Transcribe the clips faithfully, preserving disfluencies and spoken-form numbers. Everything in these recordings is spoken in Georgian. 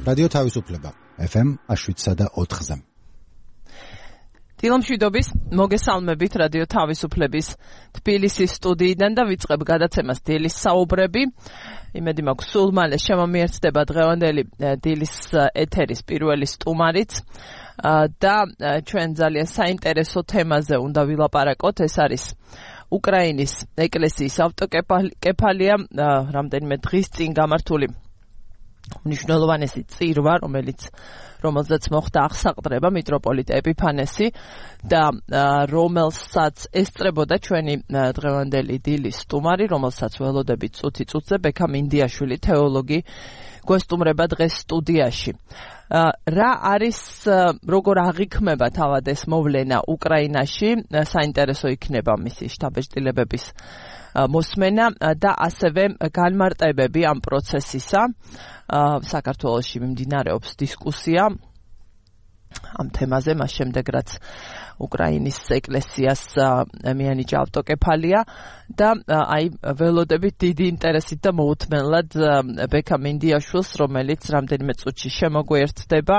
რადიო თავისუფლება ეფ ემ შვიდსა და ოთხზე. დილამშვიდობის მოგესალმებით რადიო თავისუფლების თბილისის სტუდიიდან და ვიწყებ გადაცემას დილის საუბრები. იმედი მაქვს სულ მალე შემომიერთდება დღევანდელი დილის ეთერის პირველი სტუმარიც და ჩვენ ძალიან საინტერესო თემაზე უნდა ვილაპარაკოთ. ეს არის უკრაინის ეკლესიის ავტოკეფალია, რამდენიმე დღის წინ გამართული მნიშვნელოვანესი წირვა, რომელიც რომელზეც მოხდა აღსაყდრება მიტროპოლიტ ეპიფანესი და რომელსაც ესწრებოდა ჩვენი დღევანდელი დილის სტუმარი, რომელსაც ველოდებით წუთი წუთზე ბექა მინდიაშვილი თეოლოგი გვესტუმრება დღეს სტუდიაში. რა არის, როგორ აღიქმება თავად ეს მოვლენა უკრაინაში, საინტერესო იქნება მისი შთაბეჭდილებების მოსმენა და ასევე განმარტებები ამ პროცესისა. საქართველოში მიმდინარეობს დისკუსია ამ თემაზე, მას შემდეგ რაც უკრაინის ეკლესიას მიანიჭა ავტოკეფალია და აი ველოდებით დიდი ინტერესით და მოუთმენლად ბექა მინდიაშვილს, რომელიც რამდენიმე წუთში შემოგვიერთდება.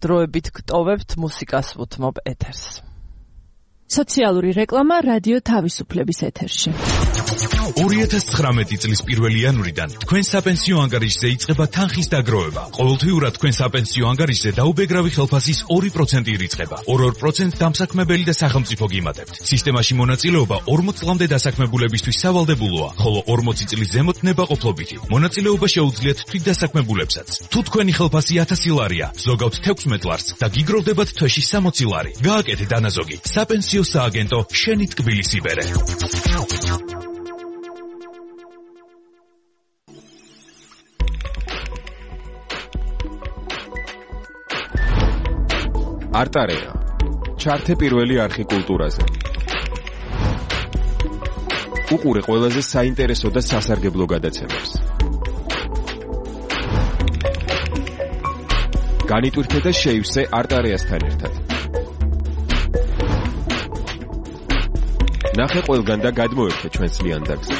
დროებით გტოვებთ მუსიკას ვუთმობ ეთერს. სოციალური რეკლამა რადიო თავისუფლების ეთერში. ორი ათას ცხრამეტი წლის პირველი იანვრიდან თქვენ საპენსიო ანგარიშზე იწყება თანხის დაგროვება. ყოველთვიურად თქვენ საპენსიო ანგარიშზე დაუბეგრავი ხელფასის ორი პროცენტი ირიცხება. ორ-ორ პროცენტს დამსაქმებელი და სახელმწიფო გიმატებთ. სისტემაში მონაწილეობა ორმოც წლამდე დასაქმებულებისთვის სავალდებულოა, ხოლო ორმოცი წლის ზემოთ ნებაყოფლობითი. მონაწილეობა შეუძლიათ თვითდასაქმებულებსაც. თუ თქვენი ხელფასი ათასი ლარია, ზოგავთ თექვსმეტ ლარს და გიგროვდებათ თვეში სამოცი ლარი. გააკეთეთ ანაზოგი. საპენსიო სააგენტო შენი ტკბილის იბერე. არტარეა. ჩართე პირველი არხი კულტურაზე. უყურე ყველაზე საინტერესო და სასარგებლო გადაცემებს. განიტვირთე და შეივსე არტარეასთან ერთად. ნახე ყველგან და გადმოერთე ჩვენს ლიანდაგზე.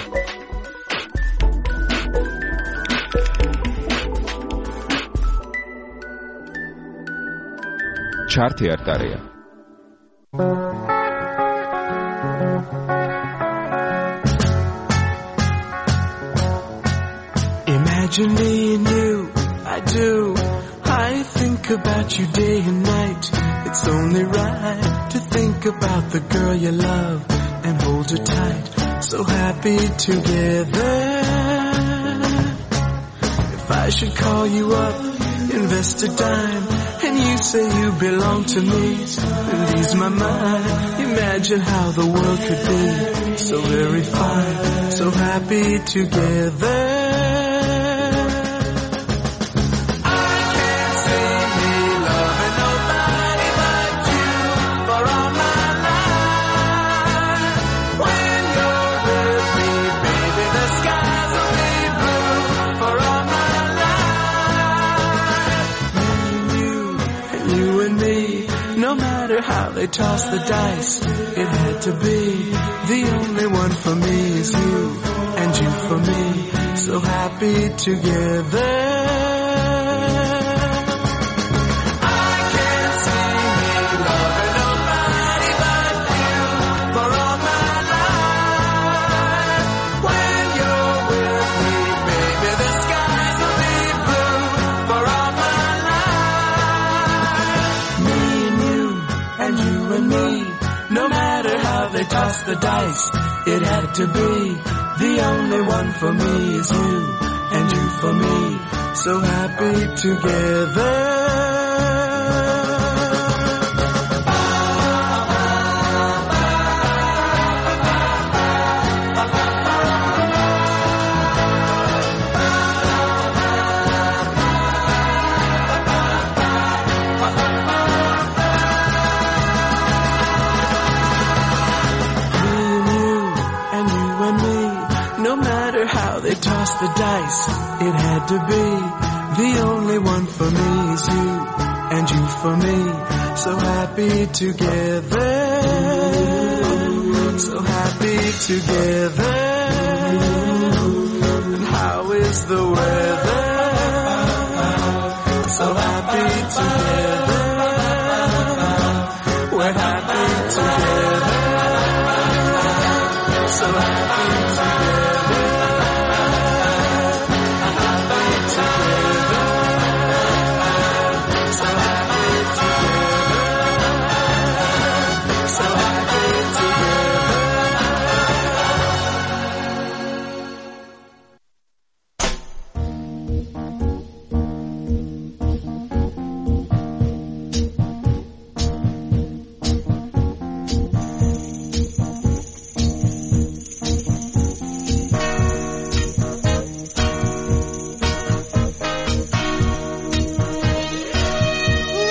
ჩართე არტარეა. Imagine me and you, I do. I think about you day and night. It's only right to think about the girl you love and hold her tight. So happy together. If I should call you up, invest a dime, and you say you belong to me, and ease my mind. Imagine how the world could be so very fine, so happy together. How they toss the dice, it had to be. The only one for me is you, and you for me, so happy together. I can't see me loving nobody but you for all my life. When you're with me, baby, the skies will be blue for all my life. Me and you, and you and me, no matter how they toss the dice, it had to be. The only one for me is you, and you for me, so happy together. They toss the dice, it had to be. The only one for me is you, and you for me, so happy together. So happy together. And how is the weather? together. We're happy together. So happy together. Happy together. So happy together. So happy together.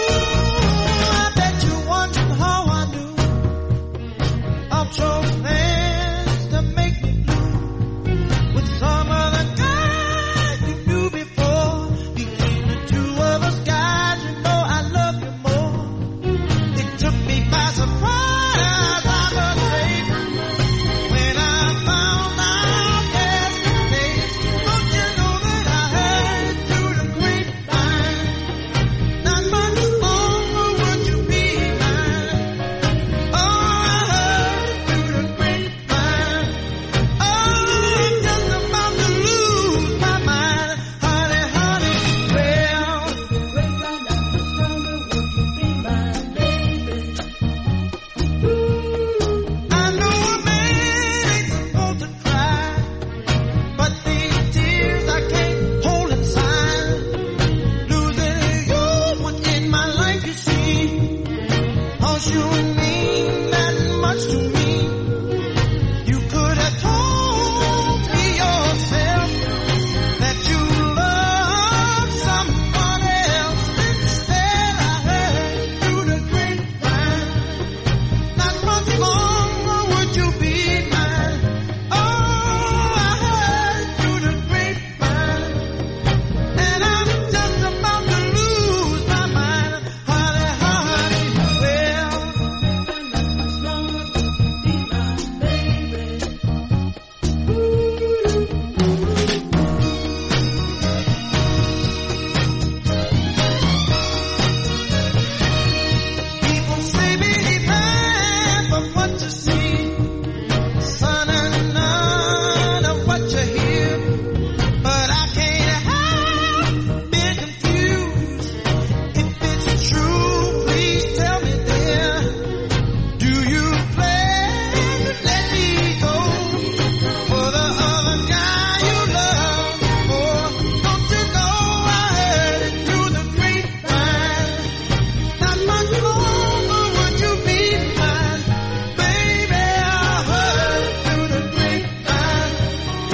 I bet you're wondering how I knew of your plans to make me blue with some other guy you knew before. Between the two of us, guys, you know I love you more. It took me by surprise, I must say, when I found out yesterday. Don't you know that I heard through the grapevine? Not much longer would you be mine. Oh, I heard through the grapevine. Oh, I'm just about to lose my mind, honey, honey. Well, I know a man ain't supposed to cry, but these tears I can't hold inside. Losing you was in my life, you see. 'Cause you mean that much to me. You could have told me yourself that you love someone else. Instead, I heard through the grapevine. Not much longer would you be mine. Oh, I heard through the grapevine. And I'm just about to lose my mind, honey, honey. Well, people say believe half of what you see, son, and none of what you hear. But I can't help being confused. If it's true, please tell me, dear. Do you plan to let me go for the other guy you love before? Don't you know I heard it through the grapevine? Not much longer would you be mine, baby. I heard it through the grapevine.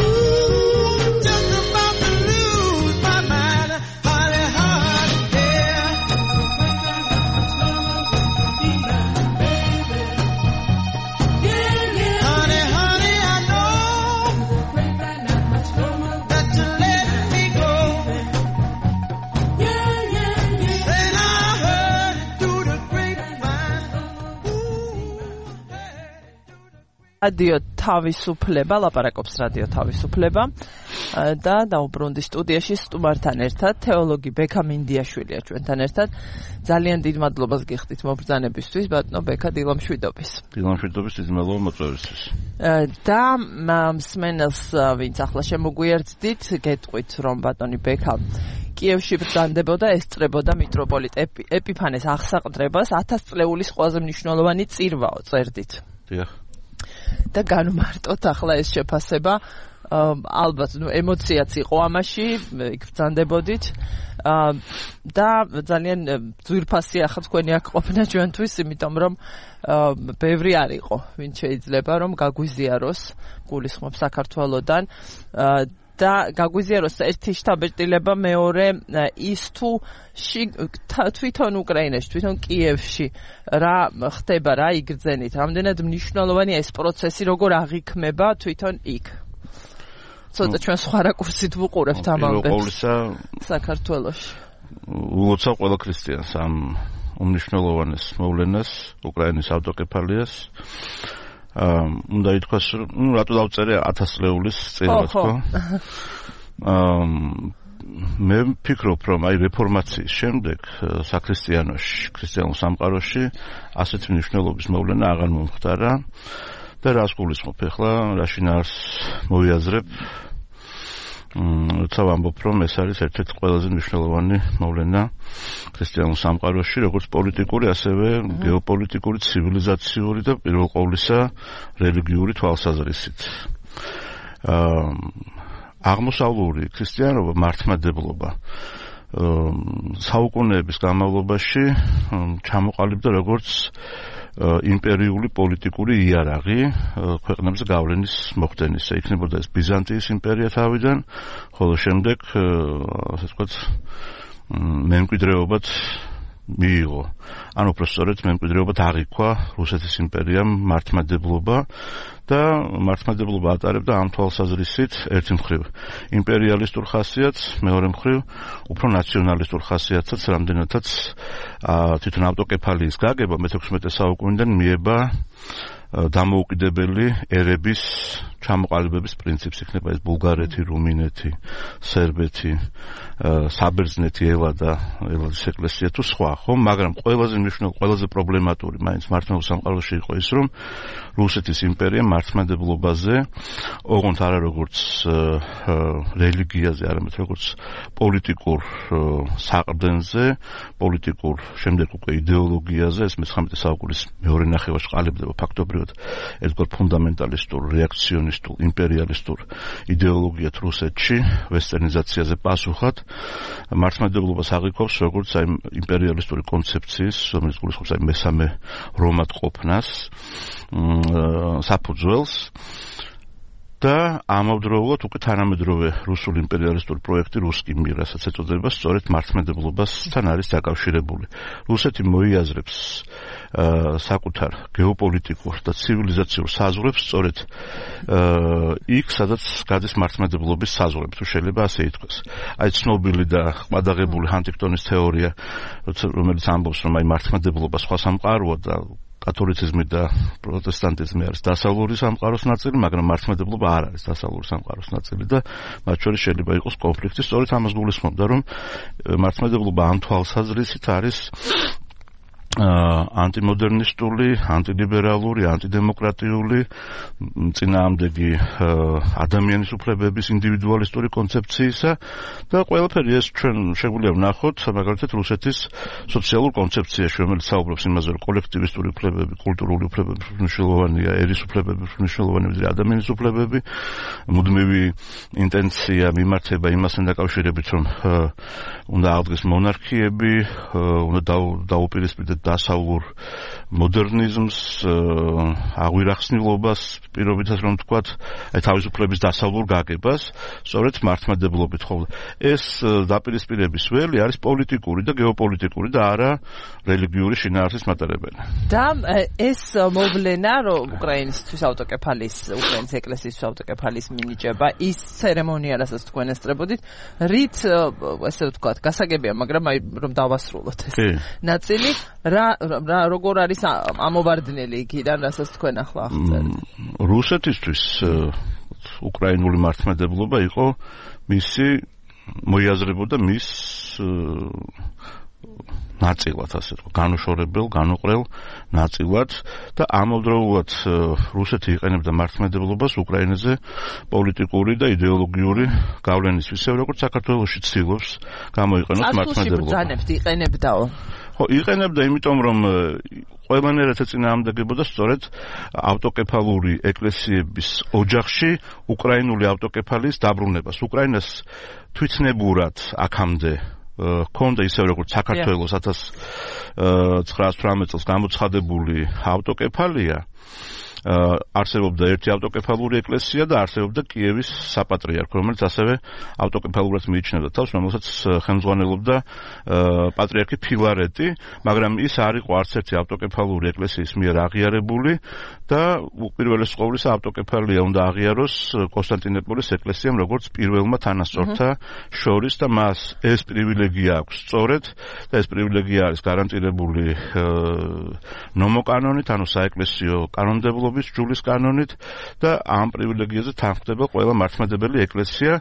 Ooh, I'm just about to lose my mind, honey, honey, yeah. Honey, honey, I know that you let me go. Then I heard it through the grapevine. Ooh, hey. რადიო თავისუფლება, ლაპარაკობს რადიო თავისუფლება ა, და დაუბრუნდი სტუდიაში სტუმართან ერთად თეოლოგი ბექა მინდიაშვილია ჩვენთან ერთად. ძალიან დიდ მადლობას გიხდით მობრძანებისთვის, ბატონო ბექა დილამშვიდობის. დილამშვიდობის დიდი მადლობა მოწვევისთვის. ა, და მა- მსმენელს ა, ვინც ახლა შემოგვიერთდით, გეტყვით რომ ბატონი ბექა კიევში ბრძანდებოდა, ესწრებოდა მიტროპოლიტ ეპი- ეპიფანეს აღსაყდრებას ათას წლეულის ყველაზე მნიშვნელოვანი წირვაო წერდით. დიახ. და განვმარტოთ ახლა ეს შეფასება. ა, ალბათ ნუ ემოციაც იყო ამაში, იქ ბრძანდებოდით. ა, და ძალიან ა, ძვირფასია ახლა თქვენი აქ ყოფნა ჩვენთვის, იმიტომ რომ ა, ბევრი არ იყო, ვინც შეიძლება რომ გაგვიზიაროს გულისხმობ საქართველოსდან. ა, და გაგვიზიაროს ერთი შთაბეჭდილება, მეორე ა, ის თუ შიგ- თა- თვითონ უკრაინაში, თვითონ კიევში რა ხდება, რა იგრძენით, რამდენად მნიშვნელოვანია ეს პროცესი, როგორ აღიქმება თვითონ იქ. ცოტა ჩვენ სხვა რაკურსით ვუყურებთ ამ პირველ ამბებს ყოვლისა საქართველოში. ულოცავ ყველა ქრისტიანს ამ უმნიშვნელოვანეს მოვლენას, უკრაინის ავტოკეფალიას. აა უნდა ითქვას, რომ ნუ რატო დავწერე ათას წლეულის წირვა, ხო, ხო. თქო. აა მე ვფიქრობ, რომ აი რეფორმაციის შემდეგ საქრისტიანოში, ქრისტიანულ სამყაროში ასეთი მნიშვნელობის მოვლენა აღარ მომხდარა და რას გულისხმობ ახლა, რა შინაარს მოვიაზრებ, როცა ვამბობ, რომ ეს არის ერთ-ერთი ყველაზე მნიშვნელოვანი მოვლენა ქრისტიანულ სამყაროში, როგორც პოლიტიკური, ასევე გეოპოლიტიკური, ცივილიზაციური და პირველ ყოვლისა რელიგიური თვალსაზრისით. აღმოსავლური ქრისტიანობა, მართლმადიდებლობა საუკუნეების განმავლობაში ჩამოყალიბდა როგორც იმპერიული პოლიტიკური იარაღი ქვეყნებზე გავლენის მოხდენისა. იქნებოდა ეს ბიზანტიის იმპერია თავიდან, ხოლო შემდეგ ასე ვთქვათ მემკვიდრეობად მიიღო. ანუ უბრალოდ მემკვიდრეობად აღიქვა რუსეთის იმპერიამ მართლმადიდებლობა და მართლმადიდებლობა ატარებდა ამ თვალსაზრისით ერთი მხრივ იმპერიალისტურ ხასიათს, მეორე მხრივ უფრო ნაციონალისტურ ხასიათსაც, რამდენადაც თვითონ ავტოკეფალიის გაგება მეთექვსმეტე საუკუნიდან მიება დამოუკიდებელი ერების ჩამოყალიბების პრინციპს. იქნება ეს ბულგარეთი, რუმინეთი, სერბეთი, საბერძნეთი, ელადა, ელადის ეკლესია თუ სხვა, ხო? მაგრამ ყველაზე მნიშვნელოვანი, ყველაზე პრობლემატური მაინც მართლმადიდებლურ სამყაროში იყო ის, რომ რუსეთის იმპერია მართლმადიდებლობაზე, ოღონდ არა როგორც რელიგიაზე, არამედ როგორც პოლიტიკურ საყრდენზე, პოლიტიკურ შემდეგ უკვე იდეოლოგიაზე, ეს მეცხრამეტე საუკუნის მეორე ნახევარში ყალიბდება ფაქტობრივად ერთგვარ ფუნდამენტალისტურ, რეაქციონისტულ, იმპერიალისტურ იდეოლოგიათ რუსეთში, ვესტერნიზაციაზე პასუხად, მართლმადიდებლობას აღიქვავს როგორც აი იმპერიალისტური კონცეფციის, რომელიც გულისხმობს აი მესამე რომად ყოფნას, საფუძველს და ამავდროულად უკვე თანამედროვე რუსული იმპერიალისტური პროექტი რუსკი მირ, რასაც ეწოდება, სწორედ მართლმადიდებლობასთან არის დაკავშირებული. რუსეთი მოიაზრებს საკუთარ გეოპოლიტიკურ და ცივილიზაციურ საზღვრებს სწორედ იქ, სადაც გადის მართლმადიდებლობის საზღვრები, თუ შეიძლება ასე ითქვას. აი ცნობილი და ყმადაღებული ჰანტინგტონის თეორია, რომელიც ამბობს, რომ აი მართლმადიდებლობა სხვა სამყაროა და კათოლიციზმი და პროტესტანტიზმი არის დასავლური სამყაროს ნაწილი, მაგრამ მართლმადიდებლობა არ არის დასავლური სამყაროს ნაწილი და მათ შორის შეიძლება იყოს კონფლიქტი. სწორედ ამას გულისხმობდა, რომ მართლმადიდებლობა ამ თვალსაზრისით არის ანტიმოდერნისტული, ანტილიბერალური, ანტიდემოკრატიული, წინააღმდეგი ადამიანის უფლებების ინდივიდუალისტური კონცეფციისა და ყველაფერი ეს ჩვენ შეგვიძლია ვნახოთ, მაგალითად რუსეთის სოციალურ კონცეფციაში, რომელიც საუბრობს იმაზე, რომ კოლექტივისტური უფლებები, კულტურული უფლებები მნიშვნელოვანია, ერის უფლებები მნიშვნელოვანია, ვიდრე ადამიანის უფლებები, მუდმივი ინტენცია მიმართება იმასთან დაკავშირებით, რომ უნდა აღდგეს მონარქიები, უნდა დაუპირისპირდეთ დასავლურ მოდერნიზმს, აღვირახსნილობას, პირობითად რომ ვთქვათ, აი თავისუფლების დასავლურ გაგებას, სწორედ მართლმადიდებლობით ხოვდა. ეს დაპირისპირების ველი არის პოლიტიკური და გეოპოლიტიკური და არა რელიგიური შინაარსის მატარებელი. და ეს მოვლენა, რომ უკრაინისთვის ავტოკეფალიის, უკრაინის ეკლესიის ავტოკეფალიის მინიჭება, ის ცერემონია, რასაც თქვენ ესწრებოდით, რით ესე ვთქვათ, გასაგებია, მაგრამ აი რომ დავასრულოთ ეს ნაწილი, რა რა როგორ არის ამოვარდნელი იქიდან, რასაც თქვენ ახლა აღწერთ? რუსეთისთვის უკრაინული მართლმადიდებლობა იყო მისი მოიაზრებოდა მის ნაწილად, ასე ვთქვათ, განუშორებელ, განუყრელ ნაწილად და ამავდროულად რუსეთი იყენებდა მართლმადიდებლობას უკრაინაზე პოლიტიკური და იდეოლოგიური გავლენის, ისევე როგორც საქართველოში ცდილობს გამოიყენოს მართლმადიდებლობა. ბრძანებთ იყენებდაო. ხო, იყენებდა, იმიტომ რომ ყველანაირად ეწინააღმდეგებოდა სწორედ ავტოკეფალური ეკლესიების ოჯახში უკრაინული ავტოკეფალიის დაბრუნებას. უკრაინას თვითნებურად აქამდე ჰქონდა ისევე როგორც საქართველოს ათას ცხრაას თვრამეტ წელს გამოცხადებული ავტოკეფალია, არსებობდა ერთი ავტოკეფალური ეკლესია და არსებობდა კიევის საპატრიარქო, რომელიც ასევე ავტოკეფალურად მიიჩნევდა თავს, რომელსაც ხელმძღვანელობდა პატრიარქი ფილარეტი, მაგრამ ის არ იყო არც ერთი ავტოკეფალური ეკლესიის მიერ აღიარებული და უპირველეს ყოვლისა ავტოკეფალია უნდა აღიაროს კონსტანტინოპოლის ეკლესიამ როგორც პირველმა თანასწორთა შორის და მას ეს პრივილეგია აქვს სწორედ და ეს პრივილეგია არის გარანტირებული ნომოკანონით, ანუ საეკლესიო კანონმდებლობით მართლმადიდებლობის ჯულის კანონით და ამ პრივილეგიაზე თანხმდება ყველა მართლმადიდებელი ეკლესია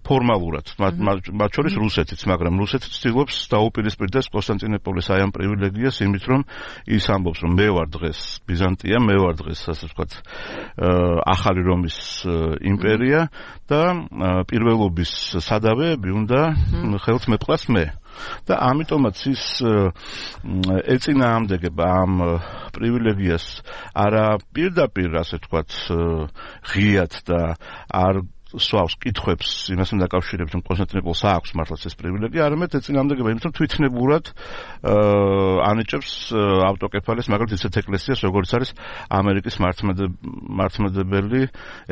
ფორმალურად, მათ შორის რუსეთიც, მაგრამ რუსეთი ცდილობს დაუპირისპირდეს კონსტანტინოპოლის აი ამ პრივილეგიას იმით, რომ ის ამბობს, რომ მე ვარ დღეს ბიზანტია, მე ვარ დღეს, ასე ვთქვათ, ახალი რომის იმპერია და პირველობის სადავეები უნდა ხელთ მეპყრას მე. და ამიტომაც ის ეწინააღმდეგება ამ პრივილეგიას არა პირდაპირ, ასე ვთქვათ, ღიად და არ სვავს კითხვებს იმასთან დაკავშირებით, რომ კონსტანტინოპოლს აქვს მართლაც ეს პრივილეგია, არამედ ეწინააღმდეგება იმით, რომ თვითნებურად ანიჭებს ავტოკეფალეს, მაგალითად ისეთ ეკლესიას, როგორც არის ამერიკის მართლმადიდებელი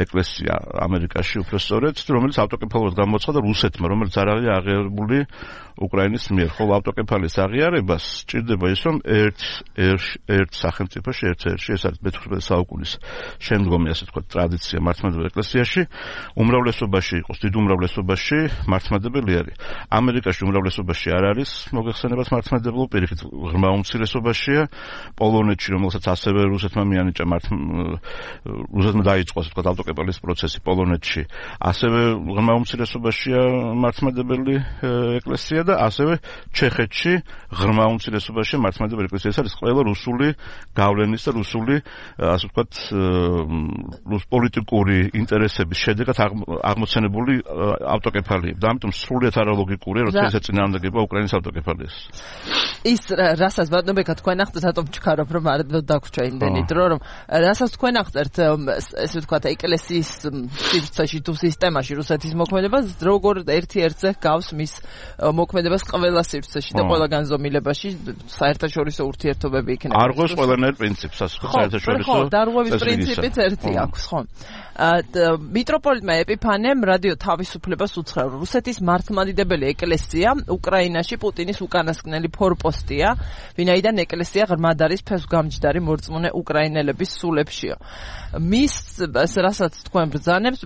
ეკლესია ამერიკაში, უფრო სწორედ, რომელიც ავტოკეფალურად გამოცხადდა რუსეთმა, რომელიც არ არის აღიარებული უკრაინის მიერ. ხოლო ავტოკეფალის აღიარებას სჭირდება ის, რომ ერთ ერთ სახელმწიფოში, ერთ-ერთში, ეს არის მეთვრმეტე საუკუნის შემდგომი, ასე ვთქვათ, ტრადიცია მართლმადიდებელ ეკლესიაში, უმრავლესობაში იყოს, დიდ უმრავლესობაში მართლმადიდებელი არის. ამერიკაში უმრავლესობაში არ არის მოგეხსენებათ მართლმადიდებლობა, პირიქით ღრმა უმცირესობაშია. პოლონეთში, რომელსაც ასევე რუსეთმა მიანიჭა რუსეთმა დაიწყო, ასე ვთქვათ, ავტოკეფალის პროცესი პოლონეთში, ასევე ღრმა უმცირესობაშია მართლმადიდებელი ეკლესია და ასევე ჩეხეთში ღრმა უმცირესობაშია მართლმადიდებელი ეკლესია. ეს არის ყველა რუსული გავლენის და რუსული, ასე ვთქვათ, პოლიტიკური ინტერესების შედეგად აღმოცენებული ავტოკეფალიები. და ამიტომ სრულიად არალოგიკურია, როცა ეს ეწინააღმდეგება უკრაინის ავტოკეფალიას. ის რასაც ბატონებია თქვენ ახდეთ, რატომ ჩქარობ, რომ არ დაგვრჩა იმდენი დრო, რომ რასაც თქვენ ახდეთ, ესე ვთქვათ, ეკლესიის სივრცეში თუ სისტემაში რუსეთის მოქმედებას, როგორ ერთი-ერთზე გავს მის მოქმედებას ყველა სივრცეში და ყველა განზომილებაში საერთაშორისო ურთიერთობები იქნება. არღვევს ყველანაირ პრინციპს, ასე ვთქვათ, საერთაშორისო. ხო, დარღვევის პრინციპიც ერთი აქვს, ხო. მიტროპოლიტმა ეპიფანემ რადიო თავისუფლებას უცხრა, რუსეთის მართლმადიდებელი ეკლესია უკრაინაში პუტინის უკანასკნელი ფორპოსტია, ვინაიდან ეკლესია ღრმად არის ფესვგამჯდარი მორწმუნე უკრაინელების სულებშიო. მის რასაც თქვენ ბრძანებს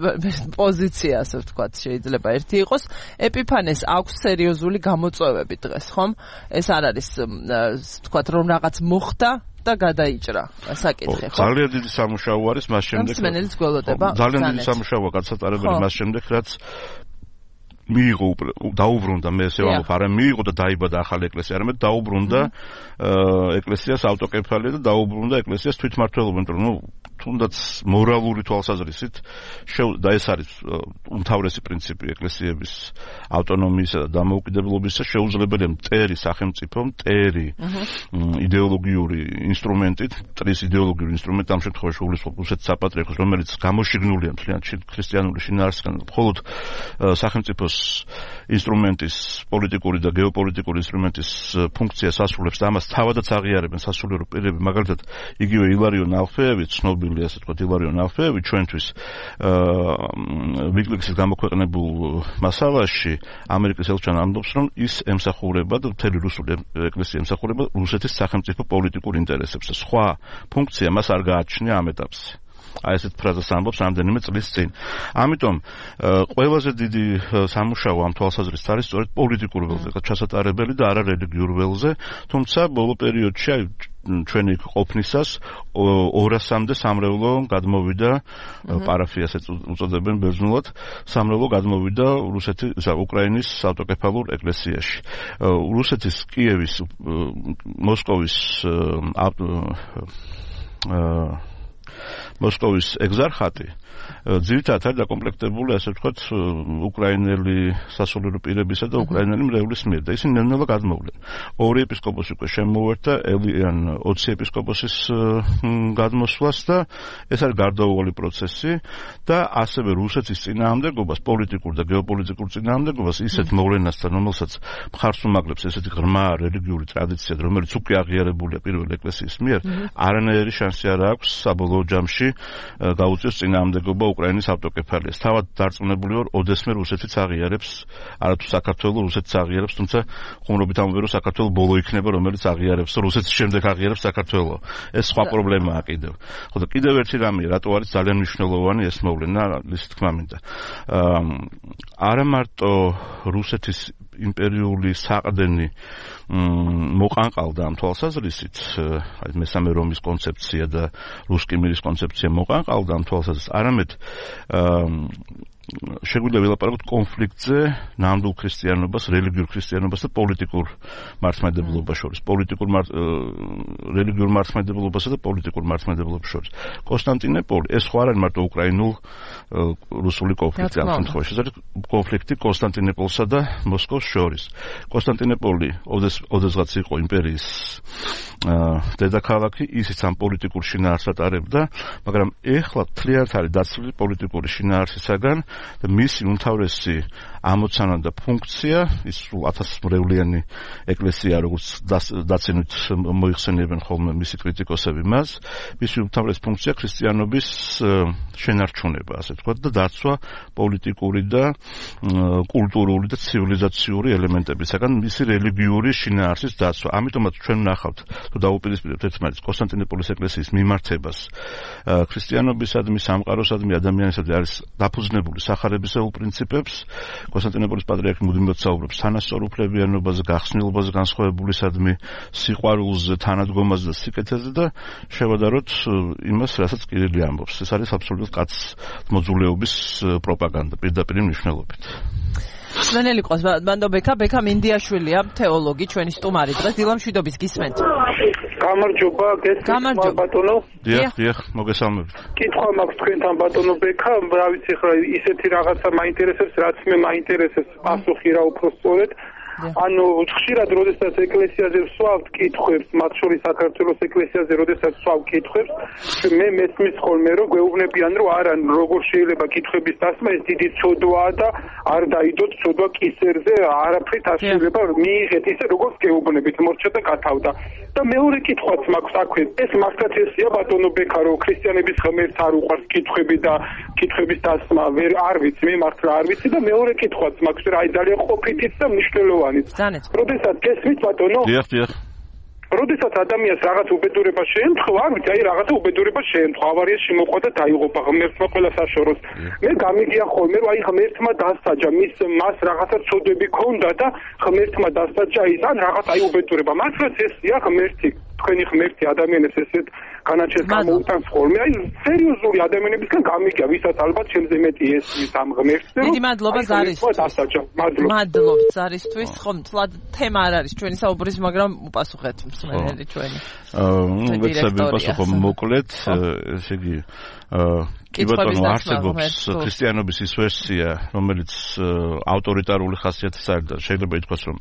პოზიცია, ასე ვთქვათ, შეიძლება ერთი იყოს. ეპიფანეს აქვს სერიოზული გამოწვევები დღეს, ხომ? ეს არ არის, ვთქვათ, რომ რაღაც მოხდა და გადაიჭრა საკითხი, ხო? ძალიან დიდი სამუშაო არის მას შემდეგ. მსმენელიც გველოდება. ძალიან დიდი სამუშაოა გასატარებელი მას შემდეგ, რაც მიიღო დაუბრუნდა, მე ესე ვამბობ, არა მიიღო და დაიბადა ახალი ეკლესია, არამედ დაუბრუნდა ეკლესიას ავტოკეფალია და დაუბრუნდა ეკლესიას თვითმმართველობა, იმიტომ რომ თუნდაც მორალური თვალსაზრისით და ეს არის უმთავრესი პრინციპი ეკლესიების ავტონომიისა და დამოუკიდებლობისა, შეუძლებელია მტერი სახელმწიფო, მტერი იდეოლოგიური ინსტრუმენტით, მტრის იდეოლოგიური ინსტრუმენტი ამ შემთხვევაში უგულისხმობს რუსეთის საპატრიარქოს, რომელიც გამოშიგნულია მთლიანად ქრისტიანული შინაარსისგან, მხოლოდ სახელმწიფოს ინსტრუმენტის, პოლიტიკური და გეოპოლიტიკური ინსტრუმენტის ფუნქციას ასრულებს და ამას თავადაც აღიარებენ სასულიერო პირები, მაგალითად იგივე ილარიონ ალფეევი, ცნობილი ასე ვთქვათ ილარიონ ალფეევი ჩვენთვის ვიკლიქსის გამოქვეყნებულ მასალაში ამერიკის ელჩთან ამბობს, რომ ის ემსახურება და მთელი რუსული ეკლესია ემსახურება რუსეთის სახელმწიფო პოლიტიკურ ინტერესებს და სხვა ფუნქცია მას არ გააჩნია ამ ეტაპზე. აი ესეთ ფრაზას ამბობს რამდენიმე წლის წინ. ამიტომ ყველაზე დიდი სამუშაო ამ თვალსაზრისით არის სწორედ პოლიტიკურ ველზე ჩასატარებელი და არა რელიგიურ ველზე, თუმცა ბოლო პერიოდში აი ჩვენი ყოფნისას ორასამდე სამრევლო გადმოვიდა, პარაფიას უწოდებენ ბერძნულად, სამრევლო გადმოვიდა რუსეთის, უკრაინის ავტოკეფალურ ეკლესიაში. რუსეთის კიევის, მოსკოვის მოსკოვის ეგზარხატი ძირითადად არის დაკომპლექტებული, ასე ვთქვათ, უკრაინელი სასულიერო პირებისა და უკრაინელი მრევლის მიერ და ისინი ნელ-ნელა გადმოვლენ. ორი ეპისკოპოსი უკვე შემოერთა, ელიან ოცი ეპისკოპოსის გადმოსვლას და ეს არის გარდაუვალი პროცესი და ასევე რუსეთის წინააღმდეგობას, პოლიტიკურ და გეოპოლიტიკურ წინააღმდეგობას ისეთ მოვლენასთან, რომელსაც მხარს უმაგრებს ესეთი ღრმა რელიგიური ტრადიცია, რომელიც უკვე აღიარებულია პირველ ეკლესიის მიერ, არანაირი შანსი არ აქვს საბოლოო ჯამში გაუწიოს წინააღმდეგობა უკრაინის ავტოკეფალიას. თავად დარწმუნებული ვარ, ოდესმე რუსეთიც აღიარებს, არათუ საქართველოს რუსეთიც აღიარებს, თუმცა ხუმრობით ამბობენ, რომ საქართველოს ბოლო იქნება, რომელიც აღიარებს, რუსეთის შემდეგ აღიარებს საქართველოს. ეს სხვა პრობლემაა კიდევ. ხო და კიდევ ერთი რამე, რატო არის ძალიან მნიშვნელოვანი ეს მოვლენა, ისე თქმა მინდა. არა მარტო რუსეთის იმპერიული საყრდენი მოყანყალდა ამ თვალსაზრისით, აი მესამე რომის კონცეფცია და რუსკი მირის კონცეფცია მოყანყალდა ამ თვალსაზრისით, არამედ შეგვიძლია ვილაპარაკოთ კონფლიქტზე ნამდვილ ქრისტიანობას, რელიგიურ ქრისტიანობას და პოლიტიკურ მართლმადიდებლობას შორის, პოლიტიკურ რელიგიურ მართლმადიდებლობასა და პოლიტიკურ მართლმადიდებლობას შორის. კონსტანტინოპოლი ეს ხო არ არის მარტო უკრაინულ რუსული კონფლიქტი ამ შემთხვევაში, ეს არის კონფლიქტი კონსტანტინოპოლსა და მოსკოვს შორის. კონსტანტინოპოლი ოდესღაც იყო იმპერიის დედაქალაქი, ისიც ამ პოლიტიკურ შინაარსს ატარებდა, მაგრამ ეხლა თლიანად არის დაცული პოლიტიკური შინაარსისაგან და მისი უმთავრესი ამოცანა და ფუნქცია, ის სულ ათასმრევლიანი ეკლესია, როგორც დაცინვით მოიხსენიებენ ხოლმე მისი კრიტიკოსები მას, მისი უმთავრესი ფუნქცია ქრისტიანობის შენარჩუნება, ასე ვთქვათ, და დაცვა პოლიტიკური და კულტურული და ცივილიზაციური ელემენტებისაგან, მისი რელიგიური შინაარსის დაცვა. ამიტომაც ჩვენ ვნახავთ, თუ დაუპირისპირებთ ერთმანეთს კონსტანტინოპოლის ეკლესიის მიმართებას ქრისტიანობისადმი, სამყაროსადმი, ადამიანისადმი არის დაფუძნებული სახარებისეულ პრინციპებს. კონსტანტინოპოლის პატრიარქი მუდმივად საუბრობს თანასწორუფლებიანობაზე, გახსნილობაზე, განსხვავებულისადმი, სიყვარულზე, თანადგომაზე და სიკეთეზე და შევადაროთ იმას, რასაც კირილი ამბობს. ეს არის აბსოლუტურად კაც მოძულეობის პროპაგანდა პირდაპირ მნიშვნელობით. სვენელი ყავს ბანდო ბექა, ბექა მინდიაშვილია, თეოლოგი, ჩვენი სტუმარი დღეს დილამშვიდობის გისმენთ. გამარჯობა, გესმენთ ბატონო. დიახ, დიახ, მოგესალმებით. კითხვა მაქვს თქვენთან ბატონო ბექა, რა ვიცი ხა ისეთი რაღაცა მაინტერესებს, რაც მე მაინტერესებს, პასუხი რა უფრო სწორედ. ანუ ხშირად როდესაც ეკლესიაზე ვსვავთ კითხვებს, მათ შორის საქართველოს ეკლესიაზე როდესაც ვსვავ კითხვებს, მე მესმის ხოლმე რომ გვეუბნებიან რომ არა, როგორ შეიძლება კითხვების დასმა, ეს დიდი ცოდვაა და არ დაიდოთ ცოდვა კისერზე, არაფრით არ შეიძლება მიიღეთ ისე როგორც გეუბნებით, მორჩა და გათავდა. და მეორე კითხვაც მაქვს აქვე, ეს მართლაც ესია ბატონო ბექა, რომ ქრისტიანების ღმერთს არ უყვარს კითხვები და კითხვების დასმა, ვერ არ ვიცი, მე მართლა არ ვიცი და მეორე კითხვაც მაქვს, რა აი ძალიან ყოფითიც და მნიშვნელოვანი. როდესაც გესმით ბატონო? დიახ, დიახ. როდესაც ადამიანს რაღაც უბედურება შეემთხვა, არ ვიცი, აი რაღაცა უბედურება შეემთხვა, ავარიაში მოყვა და დაიღუპა, ღმერთმა ყველა საშოროს. მე გამიგია ხოლმე, რომ აი ღმერთმა დასაჯა, მის მას რაღაცა ცოდვები ქონდა და ღმერთმა დასაჯა ის, ან რაღაც აი უბედურება. მართლაც ესია ღმერთი, თქვენი ღმერთი ადამიანებს ესეთ განაჩენს გამოუტანს ხოლმე. აი სერიოზული ადამიანებისგან გამიგია, ვისაც ალბათ ჩემზე მეტი ესმის ამ ღმერთს. დიდი მადლობა ზარისთვის. დასაჯა. მადლობა. მადლობთ ზარისთვის. ხომ თლად თემა არ არის ჩვენი საუბრის, მაგრამ უპასუხეთ მსმენელი ჩვენი. აა, ვეცები პასუხო მოკლედ, ესე იგი, აა კი ბატონო, არსებობს ქრისტიანობის ის ვერსია, რომელიც ავტორიტარული ხასიათის არის და შეიძლება ითქვას, რომ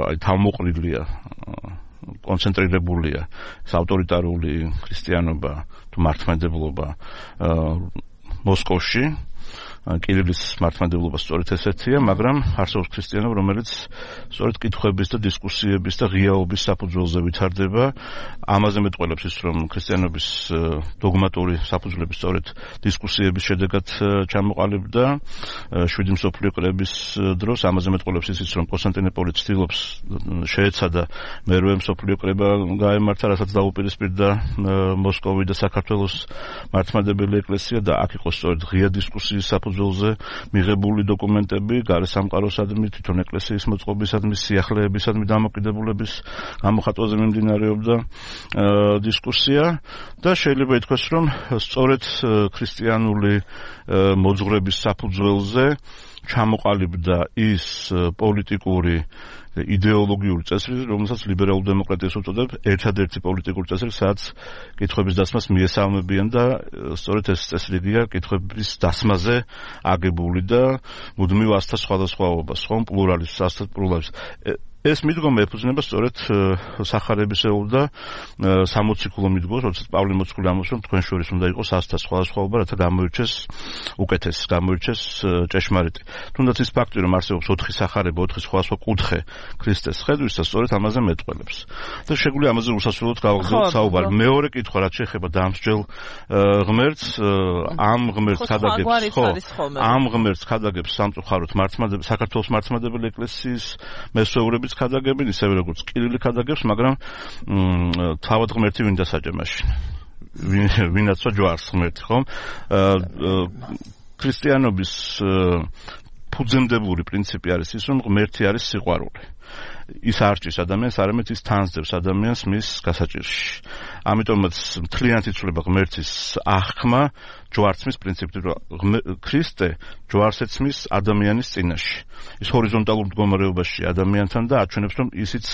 აი თავმოყრილია, კონცენტრირებულია ეს ავტორიტარული ქრისტიანობა თუ მართლმადიდებლობა მოსკოვში. კირილის მართლმადიდებლობა სწორედ ესეთია, მაგრამ არსებობს ქრისტიანობა, რომელიც სწორედ კითხვების და დისკუსიების და ღიაობის საფუძველზე ვითარდება. ამაზე მეტყველებს ის, რომ ქრისტიანობის დოგმატური საფუძვლები სწორედ დისკუსიების შედეგად ჩამოყალიბდა შვიდი მსოფლიო კრების დროს. ამაზე მეტყველებს ის, რომ კონსტანტინოპოლი ცდილობს შეეცადა მერვე მსოფლიო კრება გაემართა, რასაც დაუპირისპირდა მოსკოვი და საქართველოს მართლმადიდებელი ეკლესია და აქ იყო სწორედ ღია დისკუსიის საფუძველი ზე მიღებული დოკუმენტები გარესამყაროსადმი, თვითონ ეკლესიის მოწყობისადმი, სიახლეებისადმი დამოკიდებულების გამოხატვაზე მიმდინარეობდა დისკუსია და შეიძლება ითქვას, რომ სწორედ ქრისტიანული მოძღვრების საფუძველზე ჩამოყალიბდა ის პოლიტიკური იდეოლოგიური წესრიგი, რომელსაც ლიბერალური დემოკრატიას უწოდებ, ერთადერთი პოლიტიკური წესრიგი, სადაც კითხვების დასმას მიესალმებიან და სწორედ ეს წესრიგია კითხვების დასმაზე აგებული და მუდმივ ასთა სხვადასხვაობას, ხომ პლურალიზმს, ასთა პლურალიზმს. ეს მიდგომა ეფუძნება სწორედ სახარებისეულ და სამოციქულო მიდგომას, როდესაც პავლე მოციქული ამბობს, რომ თქვენ შორის უნდა იყოს ასთა სხვადასხვაობა, რათა გამოირჩეს უკეთესი, გამოირჩეს ჭეშმარიტი. თუნდაც ის ფაქტი, რომ არსებობს ოთხი სახარება, ოთხი სხვადასხვა კუთხე ქრისტეს ხედვის და სწორედ ამაზე მეტყველებს. და შეგვიძლია ამაზე უსასრულოდ გავაგზავნოთ საუბარი. მეორე კითხვა, რაც შეეხება დამსჯელ ღმერთს, ამ ღმერთს ხადაგებს, ხო, ამ ღმერთს ხადაგებს სამწუხაროდ მართლმადიდებელი საქართველოს მართლმადიდებელი ეკლესიის მესვეურები ხადაგებენ, ისევე როგორც კირილი ხადაგებს, მაგრამ თავად ღმერთი ვინ დასაჯა მაშინ? ვინაცვა ჯვარს ღმერთი, ხომ? ქრისტიანობის ფუძემდებლური პრინციპი არის ის, რომ ღმერთი არის სიყვარული. ის არჩის ადამიანს, არამედ ის თანსდევს ადამიანს მის გასაჭირში. ამიტომაც მთლიანად იცვლება ღმერთის აღქმა ჯვარცმის პრინციპით, რომ ქრისტე ჯვარს ეცმის ადამიანის წინაშე. ის ჰორიზონტალურ მდგომარეობაში ადამიანთან და აჩვენებს, რომ ისიც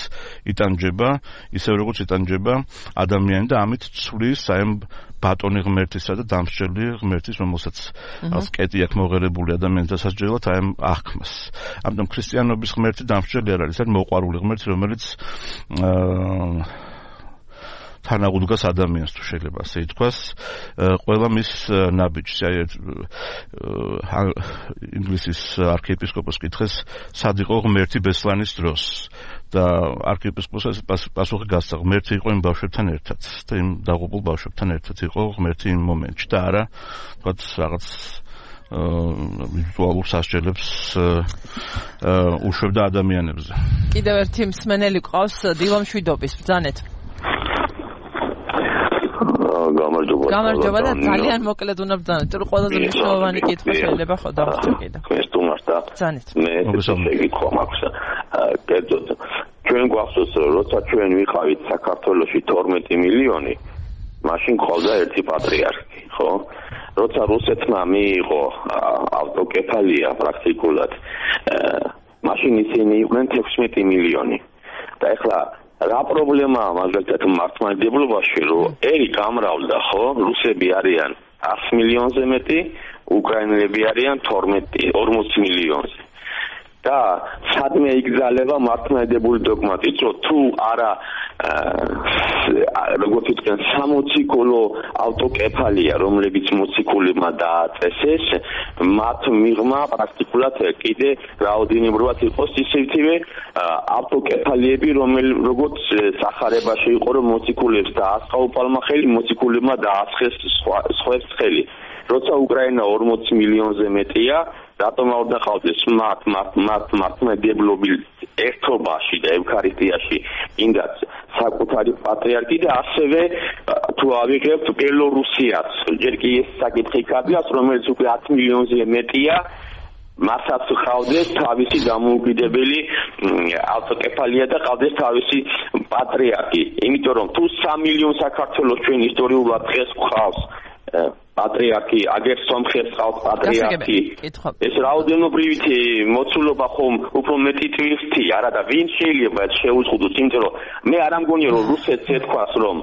იტანჯება, ისე როგორც იტანჯება ადამიანი და ამით ცვლის აი ამ ბატონი ღმერთისა და დამსჯელი ღმერთის, რომელსაც რაღაც კეტი აქვს მოღერებული ადამიანის დასაჯელად აი ამ აღქმას. ამიტომ ქრისტიანობის ღმერთი დამსჯელი არ არის, არის მოყვარული ღმერთი, რომელიც აა თანაუდგას ადამიანს, თუ შეიძლება ასე ითქვას, ყველა მის ნაბიჯს. აი ინგლისის არქიეპისკოპოსს კითხეს, სად იყო ღმერთი ბესლანის დროს და არქიეპისკოპოსი პასუხი გასცა, ღმერთი იყო იმ ბავშვებთან ერთად და იმ დაღუპულ ბავშვებთან ერთად იყო ღმერთი იმ მომენტში და არა თქვათ რაღაც ვირტუალურ სასჯელებს უშვებდა ადამიანებზე. კიდევ ერთი მსმენელი ყავს დილა მშვიდობის, ბრძანეთ. გამარჯობა. გამარჯობა და ძალიან მოკლედ უნდა ბრძანეთ, რომ ყველაზე მნიშვნელოვანი კითხვა შეიძლება ხო დავსწრო კიდევ. ქრისტუმარს და ბრძანეთ. მე შეგიქვა მაქვს. კერძოდ ჩვენ გვახსოვს, როცა ჩვენ ვიყავით საქართველოში თორმეტი მილიონი, მაშინ ყავდა ერთი პატრიარქი, ხო? როცა რუსეთმა მიიღო ავტოკეფალია პრაქტიკულად, მაშინ ისინი იყვნენ თექვსმეტი მილიონი. და ეხლა რა პრობლემაა მაგალითად მართლმადიდებლობაში, რომ ერი გამრავლდა, ხო? რუსები არიან ას მილიონზე მეტი, უკრაინელები არიან თორმეტი ორმოცი მილიონზე. და სადმე იგზალება მართლმადიდებლური დოგმატით, რომ თუ არა როგორც იტყვიან სამოციქულო ავტოკეფალია, რომლებიც მოციქულებმა დააწესეს, მათ მიღმა პრაქტიკულად კიდე რაოდენობრივად იყოს ისეთივე ავტოკეფალიები, როგორც სახარებაში იყო, რომ მოციქულებს დაასხა უპალმა ხელი, მოციქულებმა დაასხეს სხვებს ხელი. როცა უკრაინა ორმოცი მილიონზე მეტია, რატომ არ დახავდეს მათ მათ მათ მართლმადიდებლობის ერთობაში და ევქარისტიაში ინდაც საკუთარი პატრიარქი და ასევე თუ ავიღებთ ბელორუსიას, ჯერ კი ეს საკითხი კაბიას, რომელიც უკვე ათ მილიონზე მეტია, მასაც ხავდეს თავისი დამოუკიდებელი ავტოკეფალია და ხავდეს თავისი პატრიარქი. იმიტომ რომ თუ სამ მილიონს საქართველოს ჩვენ ისტორიულად დღეს გვყავს პატრიარქი, აგერ სომხებს ყავს პატრიარქი. ეს რაოდენობრივით მოცულობა ხომ უფრო მეტი ტვირთი, არა და ვინ შეიძლება შეუზღუდოს, იმიტომ რომ მე არ ამგონია რომ რუსეთს ეთქვას რომ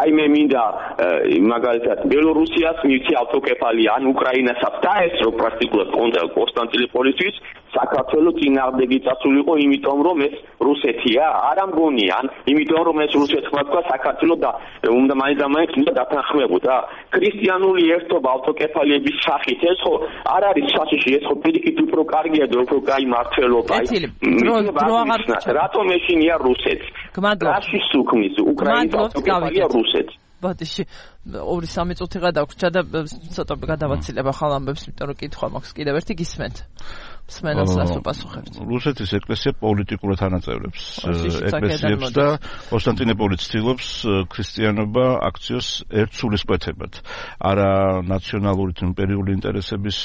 აი მე მინდა მაგალითად ბელორუსიას მივცი ავტოკეფალია ან უკრაინასაც დაესწრო პრაქტიკულად კონსტანტინოპოლისთვის, საქართველოს წინააღმდეგი წასულიყო, იმიტომ რომ ეს რუსეთია, არ ამგონია, ან იმიტომ რომ ეს რუსეთმა თქვა საქართველოს და უნდა მაინც და მაინც უნდა დათანხმებოდა. ქრისტიანული ერთობა ავტოკეფალიების სახით ეს ხო არ არის საშიში, ეს ხო პირიქით უფრო კარგია და უფრო კაი მართლობა. რატომ ეშინია რუსეთს? რაში სუქმის უკრაინის ავტოკეფალია რუსეთს? ბოდიში ორი სამი წუთი გადაგვრჩა და ცოტა გადავაცილება ხალ ამბებს, იმიტომ რომ კითხვა მაქვს კიდევ ერთი გისმენთ. მსმენელს რას უპასუხებთ? რუსეთის ეკლესია პოლიტიკურად ანაწევრებს ეკლესიებს და კონსტანტინოპოლი ცდილობს ქრისტიანობა აქციოს ერთ სულისკვეთებად. არა ნაციონალური თუ იმპერიული ინტერესების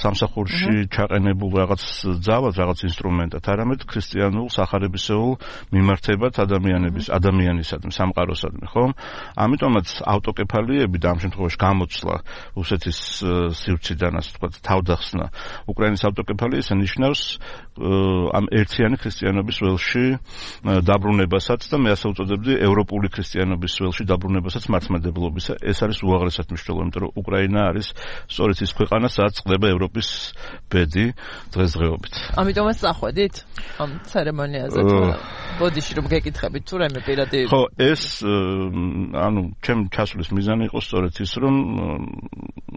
სამსახურში ჩაყენებულ რაღაც ძალად, რაღაც ინსტრუმენტად, არამედ ქრისტიანულ სახარებისეულ მიმართებად ადამიანების, ადამიანისადმი, სამყაროსადმი, ხო? ამიტომაც ავტოკეფალიები და ამ შემთხვევაში გამოცვლა რუსეთის სივრციდან, ასე ვთქვათ, თავდახსნა უკრაინის ავტოკეფალია ისე ნიშნავს ამ ერთიანი ქრისტიანობის ველში დაბრუნებასაც და მე ასე უწოდებდი ევროპული ქრისტიანობის ველში დაბრუნებასაც მართლმადიდებლობისა. ეს არის უაღრესად მნიშვნელოვანი, იმიტომ რომ უკრაინა არის სწორედ ის ქვეყანა, სადაც წყდება ევროპის ბედი დღესდღეობით. ამიტომაც წახვედით ამ ცერემონიაზე თუ ბოდიში რომ გეკითხებით თუ რაიმე პირადი. ხო, ეს ანუ ჩემ ჩასვლის მიზანი იყო სწორედ ის, რომ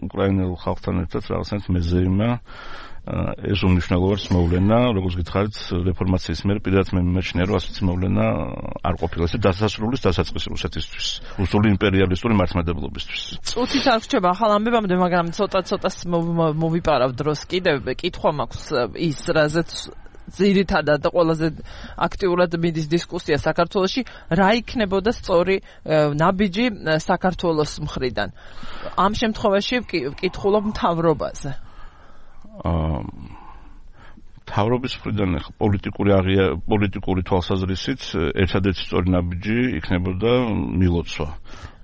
უკრაინელ ხალხთან ერთად რაღაცნაირად მეზეიმა ეს უმნიშვნელოვანეს მოვლენა, როგორც გითხარით, რეფორმაციის მერე პირადად მე მიმაჩნია, რომ ასეთი მოვლენა არ ყოფილა ეს დასასრულის დასაწყისი რუსეთისთვის, რუსული იმპერიალისტური მართლმადიდებლობისთვის. წუთით არ რჩება ახალ ამბებამდე, მაგრამ ცოტა-ცოტა მოვიპარავ დროს კიდევ კითხვა მაქვს ის, რაზეც ძირითადად და ყველაზე აქტიურად მიდის დისკუსია საქართველოში, რა იქნებოდა სწორი ნაბიჯი საქართველოს მხრიდან. ამ შემთხვევაში ვკითხულობ მთავრობაზე. თავრობის მხრიდან პოლიტიკური აღია პოლიტიკური თვალსაზრისით ერთადერთი სწორი ნაბიჯი იქნებოდა მილოცვა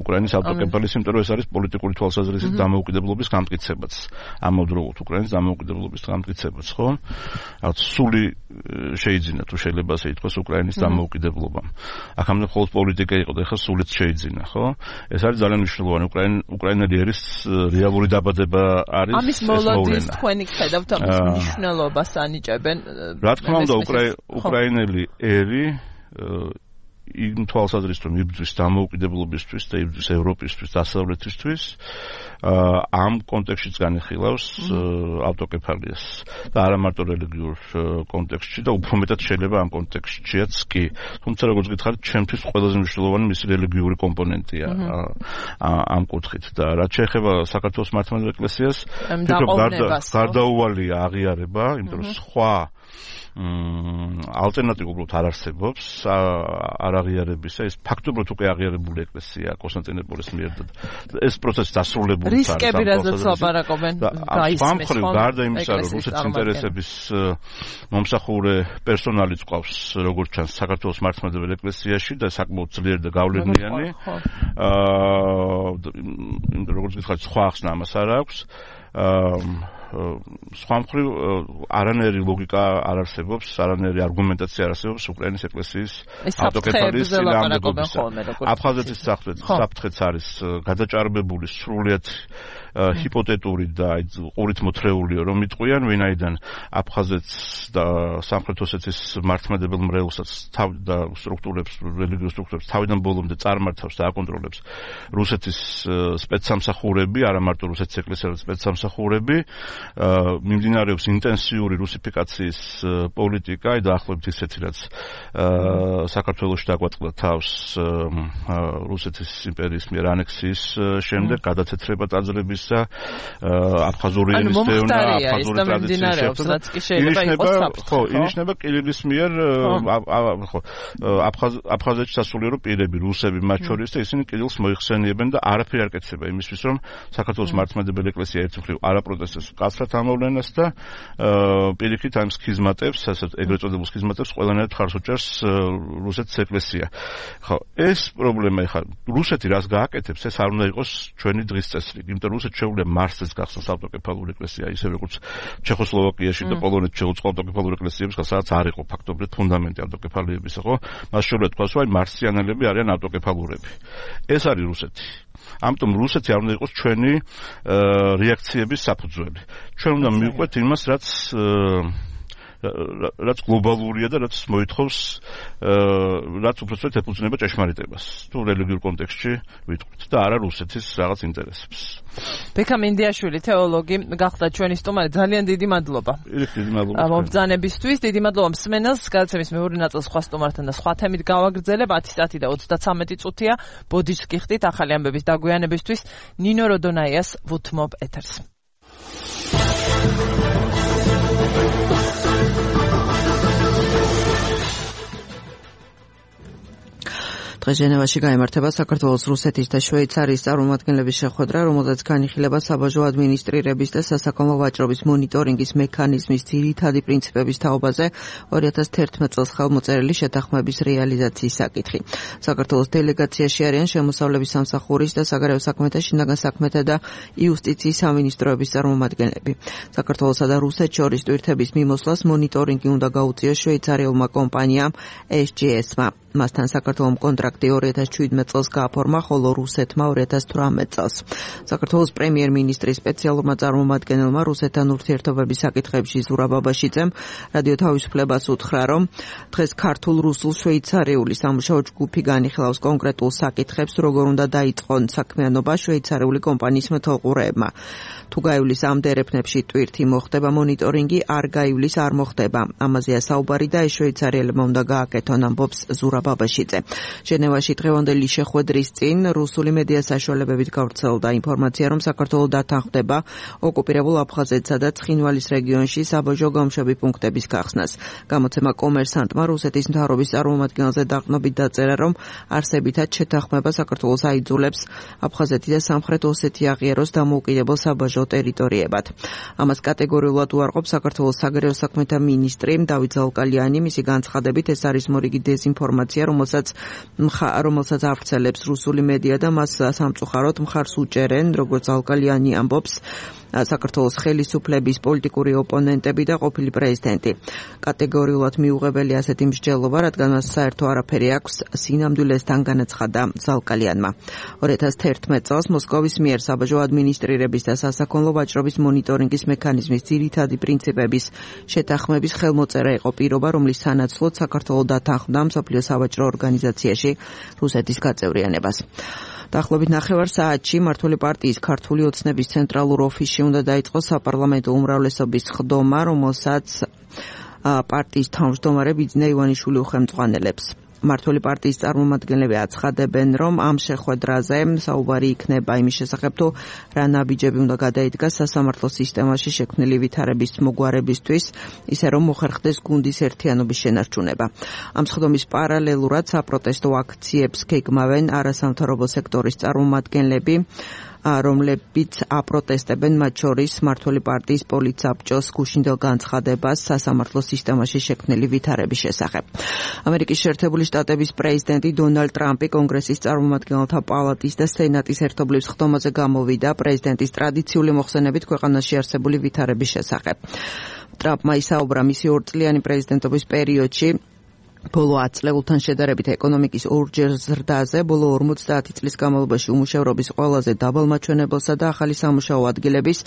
უკრაინის ავტოკეფალის, იმიტომ რომ ეს არის პოლიტიკური თვალსაზრისით დამოუკიდებლობის გამტკიცებაც. ამავდროულად უკრაინის დამოუკიდებლობის გამტკიცებაც, ხო? რაც სული შეიძინა, თუ შეიძლება ასე ითქვას, უკრაინის დამოუკიდებლობამ. აქამდე მხოლოდ პოლიტიკა იყო და ახლა სულიც შეიძინა, ხო? ეს არის ძალიან მნიშვნელოვანი. უკრაინელი ერის რეალური დაბადება არის ეს ამის მოლოდის თქვენი ხედავთ ამის მნიშვნელობას ანიჭებენ. რა თქმა უნდა, უკრაინელი ერი იმ თვალსაზრისით რომ იბრძვის დამოუკიდებლობისთვის და იბრძვის ევროპისთვის, დასავლეთისთვის, ამ კონტექსტშიც განიხილავს ავტოკეფალიას და არა მარტო რელიგიურ კონტექსტში და უფრო მეტად შეიძლება ამ კონტექსტშიც კი. თუმცა როგორც გითხარით, ჩემთვის ყველაზე მნიშვნელოვანი მისი რელიგიური კომპონენტია ამ კუთხით და რაც შეეხება საქართველოს მართლმადიდებლურ ეკლესიას, ფიქრობ გარდაუვალია აღიარება, იმიტომ რომ სხვა ალტერნატივა უბრალოდ არ არსებობს არ აღიარებისა, ეს ფაქტობრივად უკვე აღიარებული ეკლესია კონსტანტინოპოლის მიერ და ეს პროცესი დასრულებული არის. რისკები რაზეც ლაპარაკობენ გაისმის ხომ გარდა იმისა, რომ რუსეთის ინტერესების მომსახურე პერსონალიც ყავს, როგორც ჩანს, საქართველოს მართლმადიდებელ ეკლესიაში და საკმაოდ ძლიერი და გავლენიანი. აა როგორც გითხარით, სხვა ახსნა ამას არ აქვს. სხვა მხრივ არანაირი ლოგიკა არ არსებობს, არანაირი არგუმენტაცია არ არსებობს უკრაინის ეკლესიის ავტოკეფალის წინააღმდეგობისა. აფხაზეთის საფრთხეც არის გადაჭარბებული, სრულიად ჰიპოთეტური და ყურით მოთრეულიო, რომ იტყვიან, ვინაიდან აფხაზეთს და სამხრეთ ოსეთის მართლმადებელ მრევლსაც და სტრუქტურებს, რელიგიურ სტრუქტურებს თავიდან ბოლომდე წარმართავს და აკონტროლებს რუსეთის სპეცსამსახურები, არა მარტო რუსეთის ეკლესიის სპეცსამსახურები. მიმდინარეობს ინტენსიური რუსიფიკაციის პოლიტიკა და ახლობთ ისეთი რაც საქართველოში დაგვაწყდა თავს რუსეთის იმპერიის მიერ ანექსიის შემდეგ გადაცეცრება ტაძრებისა აფხაზური ენის დევნა აფხაზური ტრადიციის შეერთება ხო ინიშნება კირილის მიერ ხო აფხაზეთში სასულიერო პირები რუსები მათ შორის და ისინი კირილს მოიხსენიებენ და არაფერი არ კეთდება იმისთვის რომ საქართველოს მართლმადიდებელი ეკლესია ერთ მხრივ არ აპროტესტებს კაცრად ამოვლენას და პირიქით ამ სქიზმატებს, ასეთ ეგრეთ წოდებულ სქიზმატებს ყველანაირად ხარს უჭერს რუსეთის ეკლესია. ხო, ეს პრობლემა ხა რუსეთი რას გააკეთებს, ეს არ უნდა იყოს ჩვენი დღის წესრიგი. იმიტომ რუსეთს შეუძლია მარსels გახსნას ავტოკეფალური ეკლესია, ისე როგორც ჩეხოსლოვაკიაში და პოლონეთში შეუწყო ავტოკეფალური ეკლესიების, სადაც არ იყო ფაქტობრივად ფუნდამენტი ავტოკეფალიებისა, ხო? მას შეუძლია თქვას, რომ მარსიანელები არიან ავტოკეფალურები. ეს არის რუსეთი. ამიტომ რუსეთი არ უნდა იყოს ჩვენი რეაქციების საფუძველი. ჩვენ უნდა მივყვეთ იმას, რაც რაც გლობალურია და რაც მოითხოვს რაც უბრალოდ ეფუძნება ჭეშმარიტებას. თუ რელიგიურ კონტექსტში ვიტყვით და არა რუსეთის რაღაც ინტერესებს. ბექა მინდიაშვილი, თეოლოგი, გახდა ჩვენი სტუმარი. ძალიან დიდი მადლობა. დიდი მადლობა. მომბრძანებისთვის დიდი მადლობა მსმენელს. გადაცემის მეორე ნაწილს სხვა სტუმართან და სხვა თემით გავაგრძელებ. ათი საათი და ოცდათვრამეტი წუთია. ბოდიშს გიხდით ახალი ამბების დაგვიანებისთვის. ნინო როდონაიას ვუთმობ ეთერს. დღეს ჟენევაში გაიმართება საქართველოს, რუსეთის და შვეიცარიის წარმომადგენლების შეხვედრა, რომელზეც განიხილება საბაჟო ადმინისტრირების და სასაქონლო ვაჭრობის მონიტორინგის მექანიზმის ძირითადი პრინციპების თაობაზე ორი ათას თერთმეტ წელს ხელმოწერილი შეთანხმების რეალიზაციის საკითხი. საქართველოს დელეგაციაში არიან შემოსავლების სამსახურის და საგარეო საქმეთა, შინაგან საქმეთა და იუსტიციის სამინისტროების წარმომადგენლები. საქართველოსა და რუსეთს შორის ტვირთების მიმოსვლას მონიტორინგი უნდა გაუწიოს შვეიცარიელმა კომპანიამ ეს ჯი ეს-მა. მასთან საქართველოს კონტრაქტი ორი ათას შვიდმეტ წელს გააფორმა, ხოლო რუსეთმა ორი ათას თვრამეტ წელს. საქართველოს პრემიერ-მინისტრის სპეციალურმა წარმომადგენელმა რუსეთთან ურთიერთობების საკითხებში ზურაბ ბაბაშიძემ რადიო თავისუფლებას უთხრა, რომ დღეს ქართულ-რუსულ-შვეიცარიული სამუშაო ჯგუფი განიხილავს კონკრეტულ საკითხებს, როგორ უნდა დაიწყონ საქმიანობა შვეიცარიული კომპანიის მეთვალყურეებმა. თუ გაივლის ამ დერეფნებში ტვირთი მოხდება, მონიტორინგი არ გაივლის არ მოხდება. ამაზეა საუბარი და ეს შვეიცარიელებმა უნდა გააკეთონ, ამბობს ზურაბ ბაბაშიძე. ჟენევაში დღევანდელი შეხვედრის წინ რუსული მედია საშუალებებით გავრცელდა ინფორმაცია, რომ საქართველო დათანხმდება ოკუპირებულ აფხაზეთსა და ცხინვალის რეგიონში საბაჟო გამშვები პუნქტების გახსნას. გამოცემა კომერსანტმა რუსეთის მთავრობის წარმომადგენელზე დაყრდნობით დაწერა, რომ არსებითად შეთანხმება საქართველოს აიძულებს აფხაზეთი და სამხრეთ ოსეთი აღიაროს დამოუკიდებელ საბაჟო ტერიტორიებად. ამას კატეგორიულად უარყოფს საქართველოს საგარეო საქმეთა მინისტრი დავით ზალკალიანი. მისი განცხადებით ეს არის მორიგი დეზინფორმაცია, რომელსაც რომელსაც ავრცელებს რუსული მედია და მას სამწუხაროდ მხარს უჭერენ, როგორც ზალკალიანი ამბობს, საქართველოს ხელისუფლების პოლიტიკური ოპონენტები და ყოფილი პრეზიდენტი. კატეგორიულად მიუღებელი ასეთი მსჯელობა, რადგან მას საერთო არაფერი აქვს სინამდვილესთან, განაცხადა ზალკალიანმა. ორი ათას თერთმეტ წელს მოსკოვის მიერ საბაჟო ადმინისტრირების და სასაქონლო ვაჭრობის მონიტორინგის მექანიზმის ძირითადი პრინციპების შეთანხმების ხელმოწერა იყო პირობა, რომლის სანაცვლოდ საქართველო დათანხმდა მსოფლიო სავაჭრო ორგანიზაციაში რუსეთის გაწევრიანებას. დაახლოებით ნახევარ საათში მმართველი პარტიის ქართული ოცნების ცენტრალურ ოფისში უნდა დაიწყოს საპარლამენტო უმრავლესობის ხდომა, რომელსაც პარტიის თავმჯდომარე ბიძინა ივანიშვილი უხელმძღვანელებს. მმართველი პარტიის წარმომადგენლები აცხადებენ, რომ ამ შეხვედრაზე საუბარი იქნება იმის შესახებ, თუ რა ნაბიჯები უნდა გადაიდგას სასამართლო სისტემაში შექმნილი ვითარების მოგვარებისთვის, ისე რომ მოხერხდეს გუნდის ერთიანობის შენარჩუნება. ამ სხდომის პარალელურად საპროტესტო აქციებს გეგმავენ არასამთავრობო სექტორის წარმომადგენლები, რომლებიც აპროტესტებენ, მათ შორის მმართველი პარტიის პოლიტსაბჭოს გუშინდელ განცხადებას სასამართლო სისტემაში შექმნილი ვითარების შესახებ. ამერიკის შეერთებული შტატების პრეზიდენტი დონალდ ტრამპი კონგრესის წარმომადგენელთა პალატის და სენატის ერთობლივ ხდომაზე გამოვიდა პრეზიდენტის ტრადიციული მოხსენებით ქვეყანაში არსებული ვითარების შესახებ. ტრამპმა ისაუბრა მისი ორწლიანი პრეზიდენტობის პერიოდში ბოლო ათ წლებთან შედარებით ეკონომიკის ორჯერ ზრდაზე, ბოლო ორმოცდაათი წლის განმავლობაში უმუშევრობის ყველაზე დაბალ მაჩვენებელსა და ახალი სამუშაო ადგილების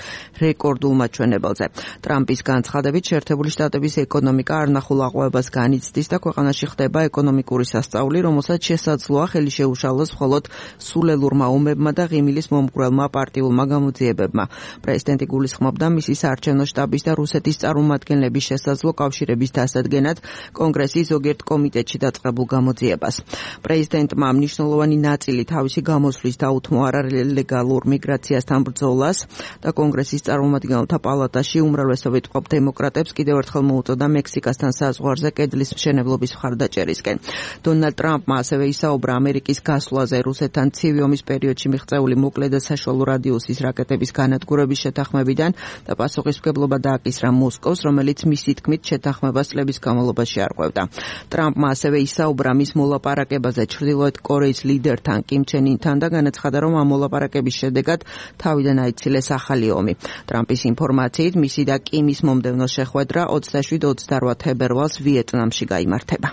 რეკორდულ მაჩვენებელზე. ტრამპის განცხადებით შეერთებული შტატების ეკონომიკა არნახულ აყვავებას განიცდის და ქვეყანაში ხდება ეკონომიკური სასწაული, რომელსაც შესაძლოა ხელი შეუშალოს მხოლოდ სულელურმა ომებმა და ღიმილის მომგვრელმა პარტიულმა გამოძიებებმა. პრეზიდენტი გულისხმობდა მისი საარჩევნო შტაბის და რუსეთის წარმომადგენლების შესაძლო კავშირების დასადგენად კონგრესის ზოგიერთ კომიტეტში დაწყებულ გამოძიებას. პრეზიდენტმა მნიშვნელოვანი ნაწილი თავისი გამოსვლის დაუთმო არალეგალურ მიგრაციასთან ბრძოლას და კონგრესის წარმომადგენელთა პალატაში უმრავლესობით მყოფ დემოკრატებს კიდევ ერთხელ მოუწოდა მექსიკასთან საზღვარზე კედლის მშენებლობის მხარდაჭერისკენ. დონალდ ტრამპმა ასევე ისაუბრა ამერიკის გასვლაზე რუსეთთან ცივი ომის პერიოდში მიღწეული მოკლე და საშუალო რადიუსის რაკეტების განადგურების შეთანხმებიდან და პასუხისმგებლობა დააკისრა მოსკოვს, რომელიც მისი თქმით შეთანხმებას წლების განმავლობაში არღვევდა. ტრამპმა ასევე ისაუბრა მის მოლაპარაკებაზე ჩრდილოეთ კორეის ლიდერთან კიმ ჩენ ინთან და განაცხადა, რომ ამ მოლაპარაკების შედეგად თავიდან აიცილეს ახალი ომი. ტრამპის ინფორმაციით მისი და კიმის მომდევნო შეხვედრა ოცდაშვიდ ოცდარვა თებერვალს ვიეტნამში გაიმართება.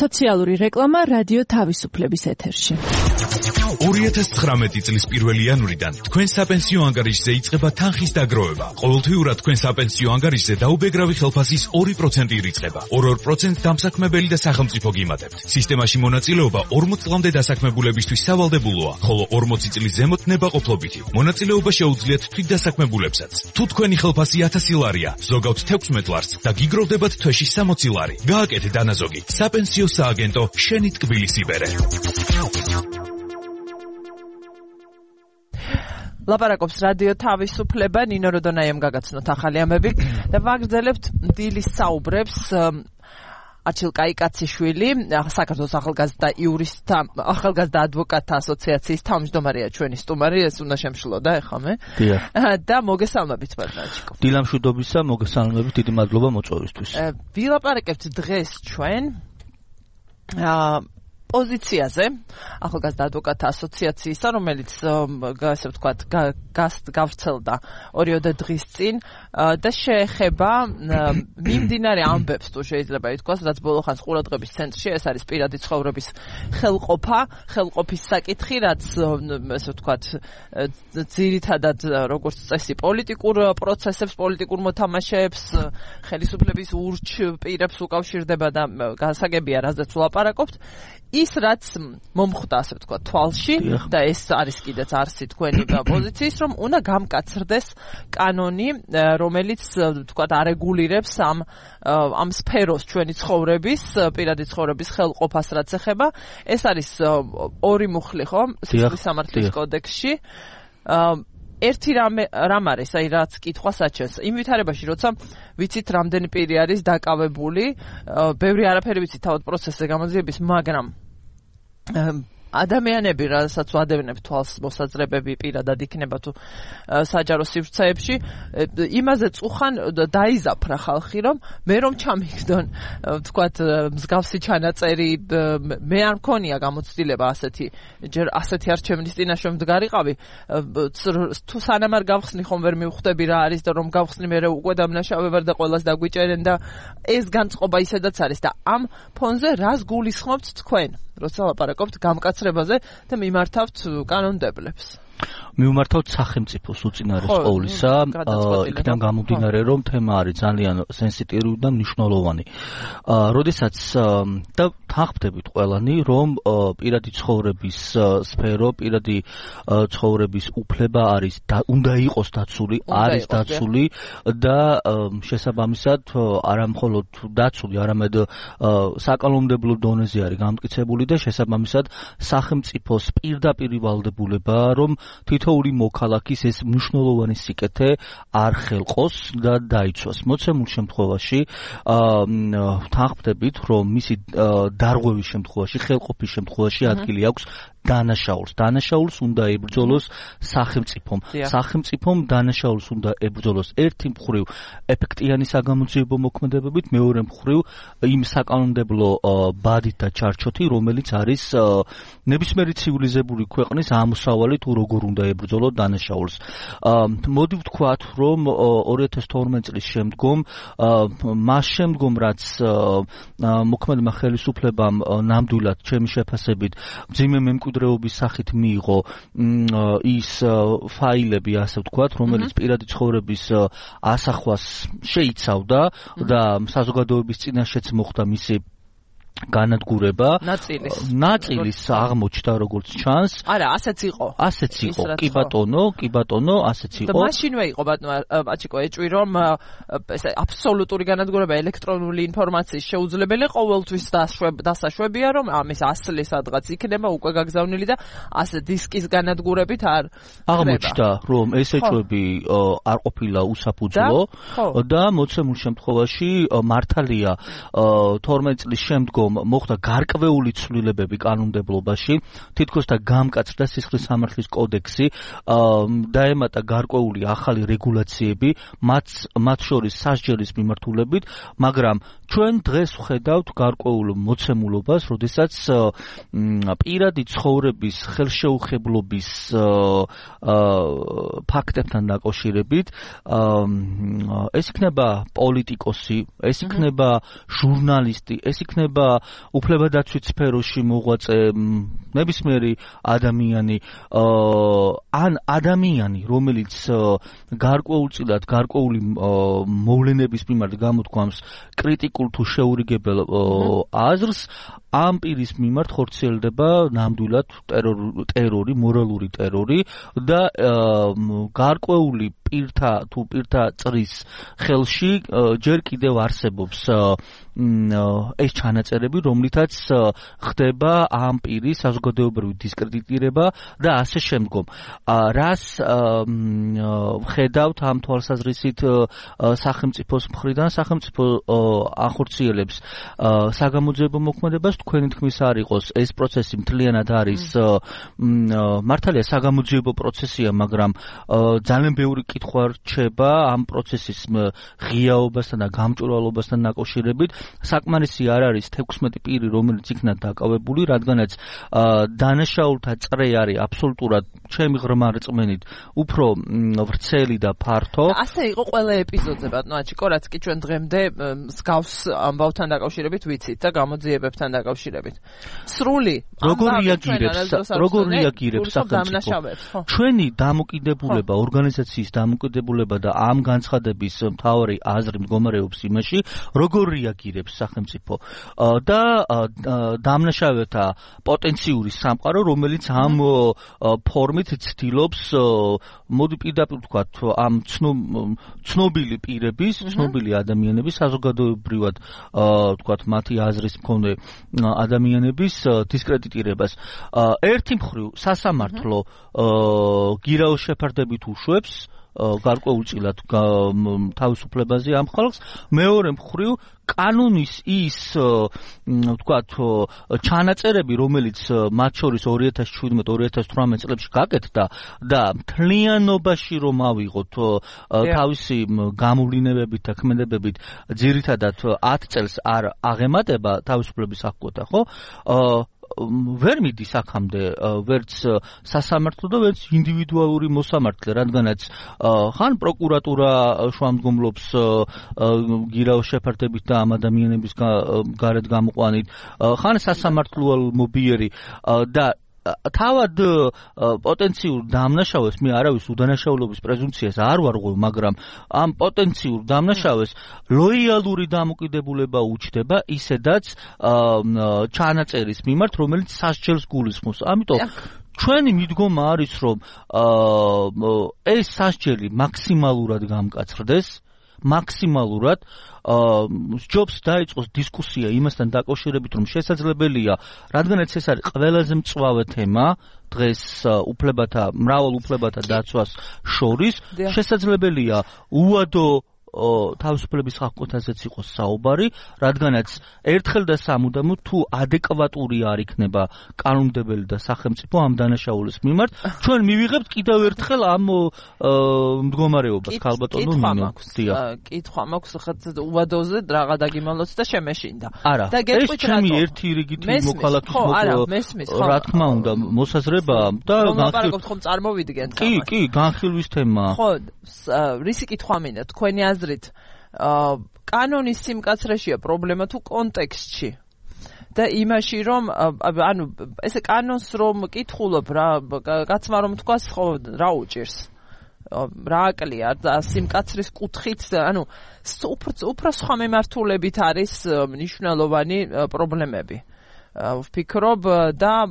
სოციალური რეკლამა რადიო თავისუფლების ეთერში. ორი ათას ცხრამეტი წლის პირველი იანვრიდან თქვენ საპენსიო ანგარიშზე იწყება თანხის დაგროვება. ყოველთვიურად თქვენ საპენსიო ანგარიშზე დაუბეგრავი ხელფასის ორი პროცენტი ირიცხება. ორ-ორ პროცენტს დამსაქმებელი და სახელმწიფო გიმატებთ. სისტემაში მონაწილეობა ორმოც წლამდე დასაქმებულებისთვის სავალდებულოა, ხოლო ორმოცი წლის ზემოთ ნებაყოფლობითი. მონაწილეობა შეუძლიათ თვითდასაქმებულებსაც. თუ თქვენი ხელფასი ათასი ლარია, ზოგავთ თექვსმეტ ლარს და გიგროვდებათ თვეში სამოცი ლარი. გააკეთეთ დანაზოგი. საპენსიო სააგენტო შენი ტკბილის იბერე. ლაპარაკობს რადიო თავისუფლება, ნინო როდონაიამ გაგაცნოთ ახალი ამები და ვაგრძელებთ დილის საუბრებს. არჩილ კაიკაციშვილი, საქართველოს ახალგაზრდა იურისტთა, ახალგაზრდა ადვოკატთა ასოციაციის თავმჯდომარეა ჩვენი სტუმარი, ეს უნდა შემშლოდა ეხამე. დიახ. და მოგესალმებით ბარნაჩიკო. დილა მშვიდობისა, მოგესალმებით, დიდი მადლობა მოწვევისთვის. ვილაპარაკებთ დღეს ჩვენ აა პოზიციაზე ახალგაზრდა ადვოკატთა ასოციაციისა, რომელიც ასე ვთქვათ, გავრცელდა ორიოდე დღის წინ და შეეხება მიმდინარე ამბებს, თუ შეიძლება ითქვას, რაც ბოლო ხანს ყურადღების ცენტრში, ეს არის პირადი ცხოვრების ხელყოფა, ხელყოფის საკითხი, რაც ასე ვთქვათ, ძირითადად როგორც წესი პოლიტიკურ პროცესებს, პოლიტიკურ მოთამაშეებს, ხელისუფლების ურჩ პირებს უკავშირდება და გასაგებია, რაზეც ვლაპარაკობთ. ის რაც მომხვდა ასე ვთქვათ თვალში და ეს არის კიდეც არსი თქვენი პოზიციის რომ უნდა გამკაცრდეს კანონი რომელიც ვთქვათ არეგულირებს ამ ამ სფეროს ჩვენი ცხოვრების პირადი ცხოვრების ხელყოფას რაც ეხება ეს არის ორი მუხლი ხო სისხლის სამართლის კოდექსში ერთი რამ რამ არის აი რაც კითხვა საჩენს იმ ვითარებაში როცა ვიცით რამდენი პირი არის დაკავებული ბევრი არაფერი ვიცით თავად პროცესზე გამოძიების მაგრამ ადამიანები რასაც ვადევნებთ თვალს მოსაძლებები პირადად იქნება თუ საჯარო სივრცეებში იმაზე წუხან დაიზაფრა ხალხი რომ მე რომ ჩამიგდონ ვთქვათ მსგავსი ჩანაწერი მე არ მქონია გამოცდილება ასეთი ჯერ ასეთი არჩევნის წინაშე მდგარიყავი თუ სანამ არ გავხსნი ხომ ვერ მივხვდები რა არის და რომ გავხსნი მე უკვე დამნაშავე ვარ და ყველას დაგვიჭერენ და ეს განწყობა ისედაც არის და ამ ფონზე რას გულისხმობთ თქვენ როცა ლაპარაკობთ გამკაცრებაზე და მიმართავთ კანონდებლებს. მივმართავთ სახელმწიფოს უწინარეს ყოვლისა, იქიდან გამომდინარე რომ თემა არის ძალიან სენსიტიური და მნიშვნელოვანი. როდესაც და თანხმდებით ყველანი რომ პირადი ცხოვრების სფერო, პირადი ცხოვრების უფლება არის და უნდა იყოს დაცული, არის დაცული და შესაბამისად არა მხოლოდ დაცული, არამედ საკანონმდებლო დონეზე არის გამტკიცებული და შესაბამისად სახელმწიფოს პირდაპირ ვალდებულება რომ თითოეული მოქალაქის ეს მნიშვნელოვანი სიკეთე არ ხელყოს და დაიცვას. მოცემულ შემთხვევაში თანხმდებით რომ მისი დარღვევის შემთხვევაში, ხელყოფის შემთხვევაში ადგილი აქვს დანაშაულს. დანაშაულს უნდა ებრძოლოს სახელმწიფომ. სახელმწიფომ დანაშაულს უნდა ებრძოლოს ერთი მხრივ ეფექტიანი საგამოძიებო მოქმედებებით, მეორე მხრივ იმ საკანონმდებლო ბადით და ჩარჩოთი, რომელიც არის ნებისმიერი ცივილიზებული ქვეყნის ამოსავალი თუ როგორ უნდა ებრძოლო დანაშაულს. მოდი ვთქვათ, რომ ორი ათას თორმეტი წლის შემდგომ, მას შემდგომ რაც მოქმედმა ხელისუფლებამ ნამდვილად ჩემი შეფასებით მძიმე მემკვიდრეობის სახით მიიღო ის ფაილები, ასე ვთქვათ, რომელიც პირადი ცხოვრების ასახვას შეიცავდა და საზოგადოების წინაშეც მოხდა მისი განადგურება ნაწილის ნაწილის აღმოჩნდა როგორც ჩანს არა ასეც იყო ასეც იყო კი ბატონო კი ბატონო ასეც იყო და მაშინვე იყო ბატონო აჩიკო ეჭვი რომ ეს აბსოლუტური განადგურება ელექტრონული ინფორმაციის შეუძლებელი ყოველთვის დასაშვებია რომ ამის ასლი სადღაც იქნება უკვე გაგზავნილი და ასე დისკის განადგურებით არ აღმოჩნდა რომ ეს ეჭვები არ ყოფილა უსაფუძვლო და მოცემულ შემთხვევაში მართალია თორმეტი წლის შემდგომ მოხდა გარკვეული ცვლილებები კანონმდებლობაში, თითქოს და გამკაცრდა სისხლის სამართლის კოდექსი, დაემატა გარკვეული ახალი რეგულაციები, მათ მათ შორის სასჯელის მიმართულებით, მაგრამ ჩვენ დღეს ვხედავთ გარკვეულ მოცემულობას, როდესაც პირადი ცხოვრების ხელშეუხებლობის ფაქტებთან დაკავშირებით ეს იქნება პოლიტიკოსი, ეს იქნება ჟურნალისტი, ეს იქნება უფლებადაცვით სფეროში მოღვაწე ნებისმიერი ადამიანი ან ადამიანი, რომელიც გარკვეულწილად გარკვეული მოვლენების მიმართ გამოთქვამს კრიტიკულ თუ შეურიგებელ აზრს, ამ პირის მიმართ ხორციელდება ნამდვილად ტერორი, მორალური ტერორი და გარკვეული პირთა თუ პირთა წრის ხელში ჯერ კიდევ არსებობს ეს ჩანაწერები, რომლითაც ხდება ამ პირის საზოგადოებრივი დისკრედიტირება და ასე შემდგომ. რას ხედავთ ამ თვალსაზრისით სახელმწიფოს მხრიდან? სახელმწიფო ახორციელებს საგამოძიებო მოქმედებას, თქვენი თქმის არ იყოს ეს პროცესი მთლიანად არის მართალია საგამოძიებო პროცესია, მაგრამ ძალიან ბევრი კითხვა რჩება ამ პროცესის ღიაობასთან და გამჭვირვალობასთან დაკავშირებით. საკმარისი არ არის თექვსმეტი პირი, რომელიც იქნა დაკავებული, რადგანაც დანაშაულთა წრე არის აბსოლუტურად ჩემი ღრმა რწმენით უფრო ვრცელი და ფართო. ასე იყო ყველა ეპიზოდზე, ბატონო აჩიკო, რაც კი ჩვენ დღემდე მსგავს ამბავთან დაკავშირებით ვიცით და გამოძიებებთან დაკავშირებით. სრული როგორ რეაგირებს, როგორ რეაგირებს სახელმწიფო? ჩვენი დამოკიდებულება, ორგანიზაციის დამოკიდებულება და ამ განცხადების მთავარი აზრი მდგომარეობს იმაში, როგორ რეაგირებს აკავშირებს სახელმწიფო და დამნაშავეთა პოტენციური სამყარო, რომელიც ამ ფორმით ცდილობს მოდი პირდაპირ ვთქვათ ამ ცნობილი პირების, ცნობილი ადამიანების საზოგადოებრივად ვთქვათ მათი აზრის მქონე ადამიანების დისკრედიტირებას. ერთი მხრივ სასამართლო გირაოს შეფარდებით უშვებს გარკვეულწილად თავისუფლებაზე ამ ხალხს, მეორე მხრივ კანონის ის ვთქვათ ჩანაწერები, რომელიც მათ შორის ორი ათას შვიდმეტ ორი ათას თვრამეტ წლებში გაკეთდა და მთლიანობაში რომ ავიღოთ თავისი გამოვლინებებით და ქმედებებით ძირითადად ათ წელს არ აღემატება თავისუფლების აღკვეთა, ხო? ვერ მიდის აქამდე ვერც სასამართლო და ვერც ინდივიდუალური მოსამართლე, რადგანაც ხან პროკურატურა შუამდგომლობს გირაოს შეფარდებით და ამ ადამიანების გარეთ გამოყვანით, ხან სასამართლოა მობიერი და თავად პოტენციურ დამნაშავეს მე არავის უდანაშაულობის პრეზუმპციას არ ვარღვევ, მაგრამ ამ პოტენციურ დამნაშავეს ლოიალური დამოკიდებულება უჩნდება ისედაც ჩანაწერის მიმართ, რომელიც სასჯელს გულისხმობს. ამიტომ ჩვენი მიდგომა არის, რომ ეს სასჯელი მაქსიმალურად გამკაცრდეს, მაქსიმალურად ჯობს დაიწყოს დისკუსია იმასთან დაკავშირებით, რომ შესაძლებელია, რადგანაც ეს არის ყველაზე მწვავე თემა დღეს უფლებათა, მრავალ უფლებათა დაცვას შორის, შესაძლებელია უადო თავისუფლების აღკვეთაზეც იყოს საუბარი, რადგანაც ერთხელ და სამუდამოდ თუ ადეკვატური არ იქნება კანონმდებელი და სახელმწიფო ამ დანაშაულის მიმართ, ჩვენ მივიღებთ კიდევ ერთხელ ამ მდგომარეობას, ქალბატონო ნინო. კითხვა მაქვს ხა უადოზე რაღა დაგიმალოთ და შემეშინდა. და ეს ჩემი ერთი რიგითი მოქალაქის რა თქმა უნდა მოსაზრება და განხილვის ხომ წარმოვიდგენთ. კი, კი, განხილვის თემაა. ხო, რისი კითხვა მინდა თქვენი აზრით კანონის სიმკაცრეშია პრობლემა თუ კონტექსტში და იმაში რომ ანუ ესე კანონს რომ კითხულობ რა კაცმა რომ თქვას ხო რა უჭირს რა აკლია და სიმკაცრის კუთხით ანუ უფრო სხვა მიმართულებით არის მნიშვნელოვანი პრობლემები. ვფიქრობ და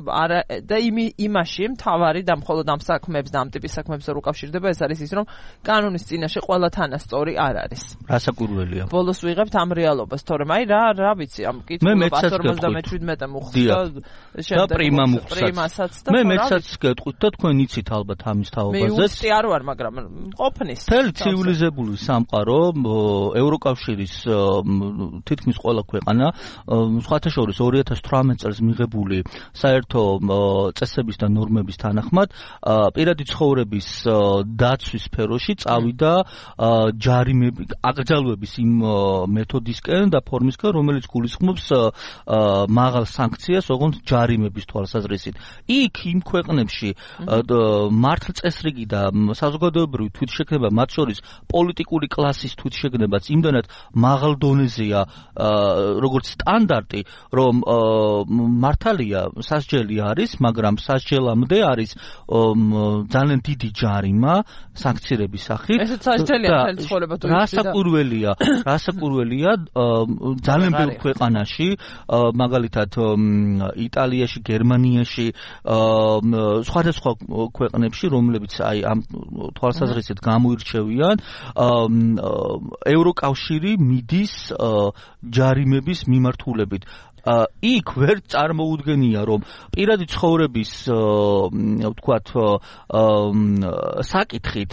და იმაში მთავარი და მხოლოდ ამ საქმეებს და ამ ტიპის საქმეებს რო უკავშირდება ეს არის ის რომ კანონის წინაშე ყველა თანასწორი არ არის. რასაკვირველია. ბოლოს ვიღებთ ამ რეალობას, თორემ აი რა რა ვიცი ამ კითხულობა εκατს ორმოცდამეშვიდმეტე მოხდა და პრიმა მოხდათ. მე მეცაც გეტყვით და თქვენ იცით ალბათ ამის თაობაზე. მე უცი არ ვარ, მაგრამ ყოფნის. მთელი ცივილიზებული სამყარო ევროკავშირის თითქმის ყველა ქვეყანა სხვათა შორის ორი ათას თვრამეტ წელს მიღებული საერთო წესების და ნორმების თანახმად პირადი ცხოვრების დაცვის სფეროში წავიდა ჯარიმები, აკრძალვების იმ მეთოდისკენ და ფორმისკენ, რომელიც გულისხმობს მაღალ სანქციას, ოღონდ ჯარიმების თვალსაზრისით. იქ იმ ქვეყნებში მართლწესრიგი და საზოგადოებრივი თვითშეგნება, მათ შორის პოლიტიკური კლასის თვითშეგნებაც იმდანაც მაღალ დონეზეა, როგორც სტანდარტი, რომ მართალია სასჯელი არის, მაგრამ სასჯელამდე არის ძალიან დიდი ჯარიმა სანქცირების სახით. ესეც სასჯელია მთელი ცხოვრება თუ რასაკვირველია, რასაკვირველია ძალიან ბევრ ქვეყანაში, მაგალითად იტალიაში, გერმანიაში, სხვადასხვა ქვეყნებში, რომლებიც აი ამ თვალსაზრისით გამოირჩევიან, ევროკავშირი მიდის ჯარიმების მიმართულებით. იქ ვერ წარმოუდგენია რომ პირადი ცხოვრების ვთქვათ საკითხით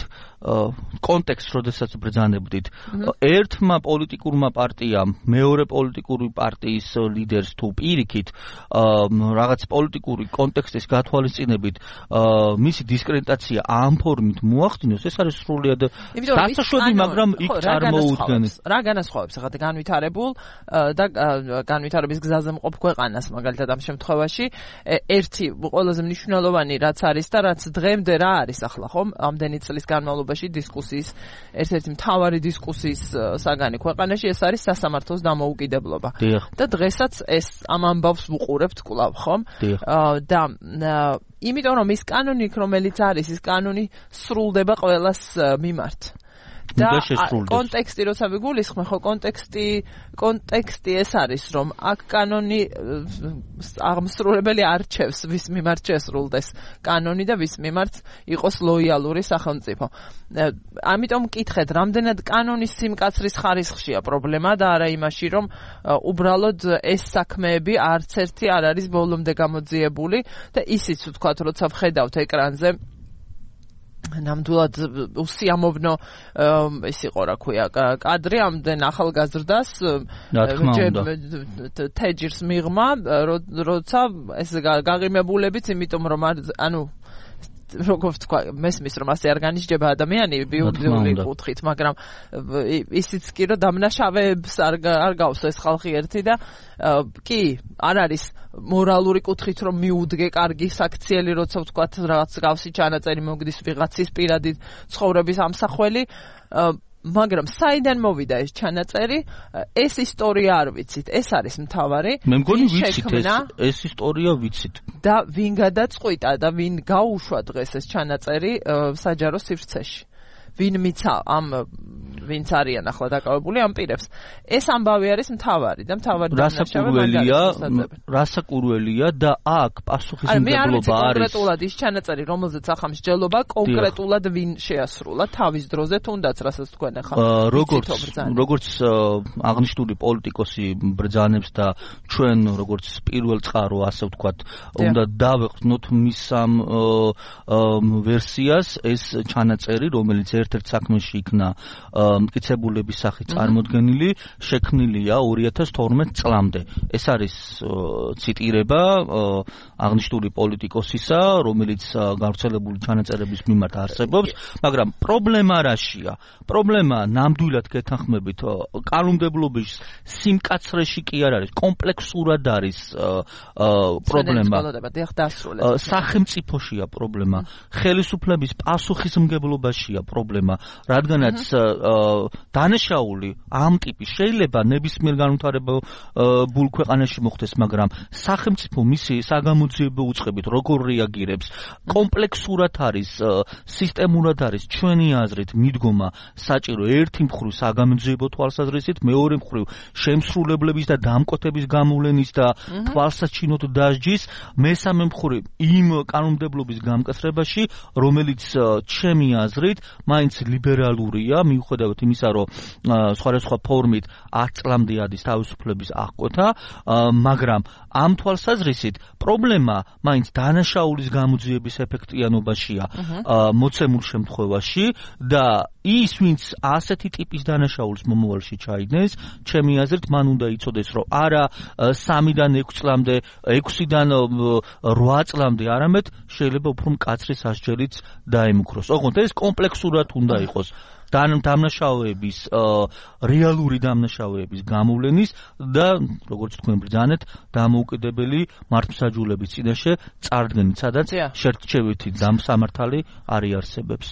კონტექსტს როდესაც ბრძანებდით ერთმა პოლიტიკურმა პარტიამ მეორე პოლიტიკური პარტიის ლიდერს თუ პირიქით რაღაც პოლიტიკური კონტექსტის გათვალისწინებით მისი დისკრედიტაცია ამ ფორმით მოახდინოს, ეს არის სრულიად დასაშვები, მაგრამ იქ წარმოუდგენს. რა განასხვავებს ახლა განვითარებულ და განვითარების გზაზე მყოფ ქვეყანას მაგალითად ამ შემთხვევაში ერთი ყველაზე მნიშვნელოვანი რაც არის და რაც დღემდე რა არის ახლა ხომ ამდენი წლის განმავლობაში დისკუსიის ერთ-ერთი მთავარი დისკუსიის საგანი ქვეყანაში ეს არის სასამართლოს დამოუკიდებლობა. და დღესაც ეს ამ ამბავს ვუყურებთ კვლავ ხომ? და იმიტომ რომ ის კანონი რომელიც არის, ის კანონი სრულდება ყველას მიმართ. და კონტექსტი როცა ვიგულისხმე, ხო კონტექსტი კონტექსტი ეს არის, რომ აქ კანონი აღმსრულებელი არჩევს, ვის მიმართ შესრულდეს კანონი და ვის მიმართ იყოს ლოიალური სახელმწიფო. ამიტომ მკითხეთ, რამდენად კანონის სიმკაცრის ხარისხშია პრობლემა და არა იმაში, რომ უბრალოდ ეს საქმეები არც ერთი არ არის ბოლომდე გამოძიებული და ისიც ვთქვათ, როცა ვხედავთ ეკრანზე ნამდვილად უსიამოვნო ის იყო რა ქვია კადრი ამდენ ახალგაზრდას თეჯირს მიღმა როცა ეს გაღიმებულებიც იმიტომ რომ ანუ როგორ ვთქვა მესმის რომ ასე არ განიშდება ადამიანი ბიოლოგიური კუთხით მაგრამ ისიც კი რომ დამნაშავეებს არ არ გავს ეს ხალხი ერთი და კი არ არის მორალური კუთხით რომ მიუდგე კარგი საქციელი როცა ვთქვათ რაღაც გავსი ჩანაწერი მოგდის ვიღაცის პირადი ცხოვრების ამსახველი მაგრამ საიდან მოვიდა ეს ჩანაწერი ეს ისტორია არ ვიცით ეს არის მთავარი მე მგონი ვიცით ეს ეს ისტორია ვიცით და ვინ გადაწყვიტა და ვინ გაუშვა დღეს ეს ჩანაწერი საჯარო სივრცეში ვინ მიცა ამ ვინც არიან ახლა დაკავებული ამ პირებს ეს ამბავი არის მთავარი და მთავარი დასაკურველია რასაკურველია და აქ პასუხისმგებლობა არის კონკრეტულად ის ჩანაწერი რომელზეც ახლა მსჯელობა კონკრეტულად ვინ შეასრულა თავის დროზე თუნდაც რასაც თქვენ ახლა როგორც როგორც აღნიშნული პოლიტიკოსი ბრძანებს და ჩვენ როგორც პირველ წყარო ასე ვთქვათ უნდა დავეყრდნოთ მის ამ ვერსიას ეს ჩანაწერი რომელიც ერთ-ერთ საქმეში იქნა მტკიცებულების სახით წარმოდგენილი შექმნილია ორი ათას თორმეტ წლამდე ეს არის ციტირება აღნიშნული პოლიტიკოსისა რომელიც გავრცელებული ჩანაწერების მიმართ არსებობს მაგრამ პრობლემა რაშია პრობლემა ნამდვილად გეთანხმებით კანონმდებლობის სიმკაცრეში კი არ არის კომპლექსურად არის პრობლემა სახელმწიფოშია პრობლემა ხელისუფლების პასუხისმგებლობაშია პრობლემა რადგანაც დანაშაული ამ ტიპის შეიძლება ნებისმიერ განვითარებულ ქვეყანაში მოხდეს, მაგრამ სახელმწიფო მისი საგამოძიებო უწყებით როგორ რეაგირებს, კომპლექსურად არის, სისტემურად არის ჩვენი აზრით მიდგომა საჭირო ერთი მხრივ საგამოძიებო თვალსაზრისით, მეორე მხრივ შემსრულებლების და დამკვეთების გამოვლენის და თვალსაჩინოდ დასჯის, მესამე მხრივ იმ კანონმდებლობის გამკაცრებაში, რომელიც ჩემი აზრით მაინც ლიბერალურია, მიუხედავად იმისა, რომ სხვადასხვა ფორმით ათ წლამდე ადის თავისუფლების აღკვეთა, მაგრამ ამ თვალსაზრისით პრობლემა მაინც დანაშაულის გამოძიების ეფექტიანობაშია მოცემულ შემთხვევაში და ის, ვინც ასეთი ტიპის დანაშაულს მომავალში ჩაიდნეს, ჩემი აზრით, მან უნდა იცოდეს, რომ არა სამიდან ექვს წლამდე, ექვსიდან რვა წლამდე, არამედ შეიძლება უფრო მკაცრი სასჯელიც დაემუქროს. ოღონდ ეს კომპლექსურად უნდა იყოს. დამნაშავეების რეალური დამნაშავეების გამოვლენის და როგორც თქვენ ბრძანეთ დამოუკიდებელი მართლმსაჯულების წინაშე წარდგენით, სადაც შერტჩევითი დამსამართალი არ იარსებებს.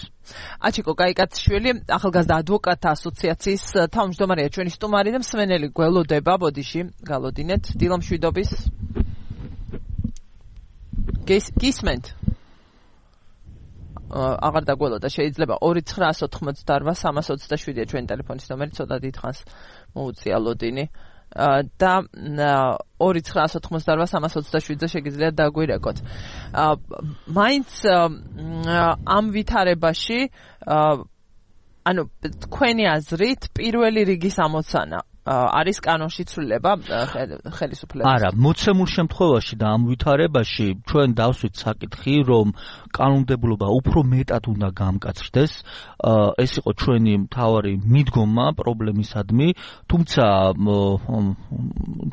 აჩიკო კაიკაცშვილი, ახალგაზრდა ადვოკატთა ასოციაციის თავმჯდომარეა ჩვენი სტუმარი და მსმენელი გველოდება ბოდიში, გალოდინეთ დილამშვიდობის. გისმენთ? აღარ დაგველოდა შეიძლება ორი ცხრაას ოთხმოცდარვა სამას ოცდაშვიდია ჩვენი ტელეფონის ნომერი ცოტა დიდხანს მოუწია ლოდინი და ორი ცხრაას ოთხმოცდარვა სამას ოცდაშვიდზე შეგიძლიათ დაგვირეკოთ. მაინც ამ ვითარებაში ანუ თქვენი აზრით პირველი რიგის ამოცანა არის კანონში ცვლილება ხელისუფლების. არა, მოცემულ შემთხვევაში და ამ ვითარებაში ჩვენ დავსვით საკითხი, რომ კანონმდებლობა უფრო მეტად უნდა გამკაცრდეს. ეს იყო ჩვენი მთავარი მიდგომა პრობლემისადმი, თუმცა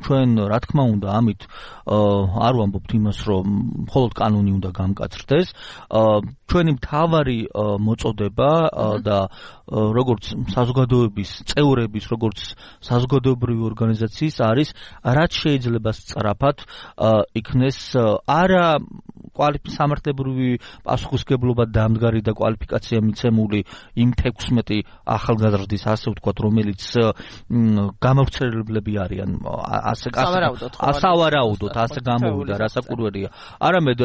ჩვენ რა თქმა უნდა ამით არ ვამბობთ იმას, რომ მხოლოდ კანონი უნდა გამკაცრდეს. ჩვენი მთავარი მოწოდება და როგორც საზოგადოების წევრების, როგორც საზოგადოებრივი ორგანიზაციის არის რაც შეიძლება სწრაფად იქნეს არა კვალიფიკაციამართლებრივი პასუხისგებლობა დამდგარი და კვალიფიკაცია მიცემული იმ თექვსმეტი ახალგაზრდის ასე ვთქვათ რომელიც გამავრცელებლები არიან ასე სავარაუდოდ ასე გამოვიდა რასაკვირველია არამედ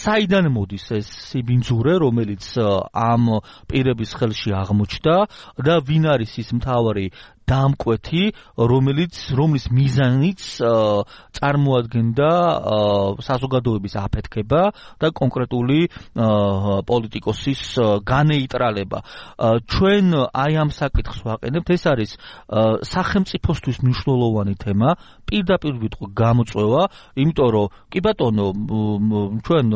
საიდან მოდის ეს სიბინძურე რომელიც ამ პირების ხელში აღმოჩნდა და ვინ არის ის მთავარი დამკვეთი რომელიც რომლის მიზანიც წარმოადგენდა საზოგადოების აფეთქება და კონკრეტული პოლიტიკოსის განეიტრალება ჩვენ აი ამ საკითხს ვაყენებთ ეს არის სახელმწიფოსთვის მნიშვნელოვანი თემა პირდაპირ ვიტყვი გამოწვევა იმიტომ რომ კი ბატონო ჩვენ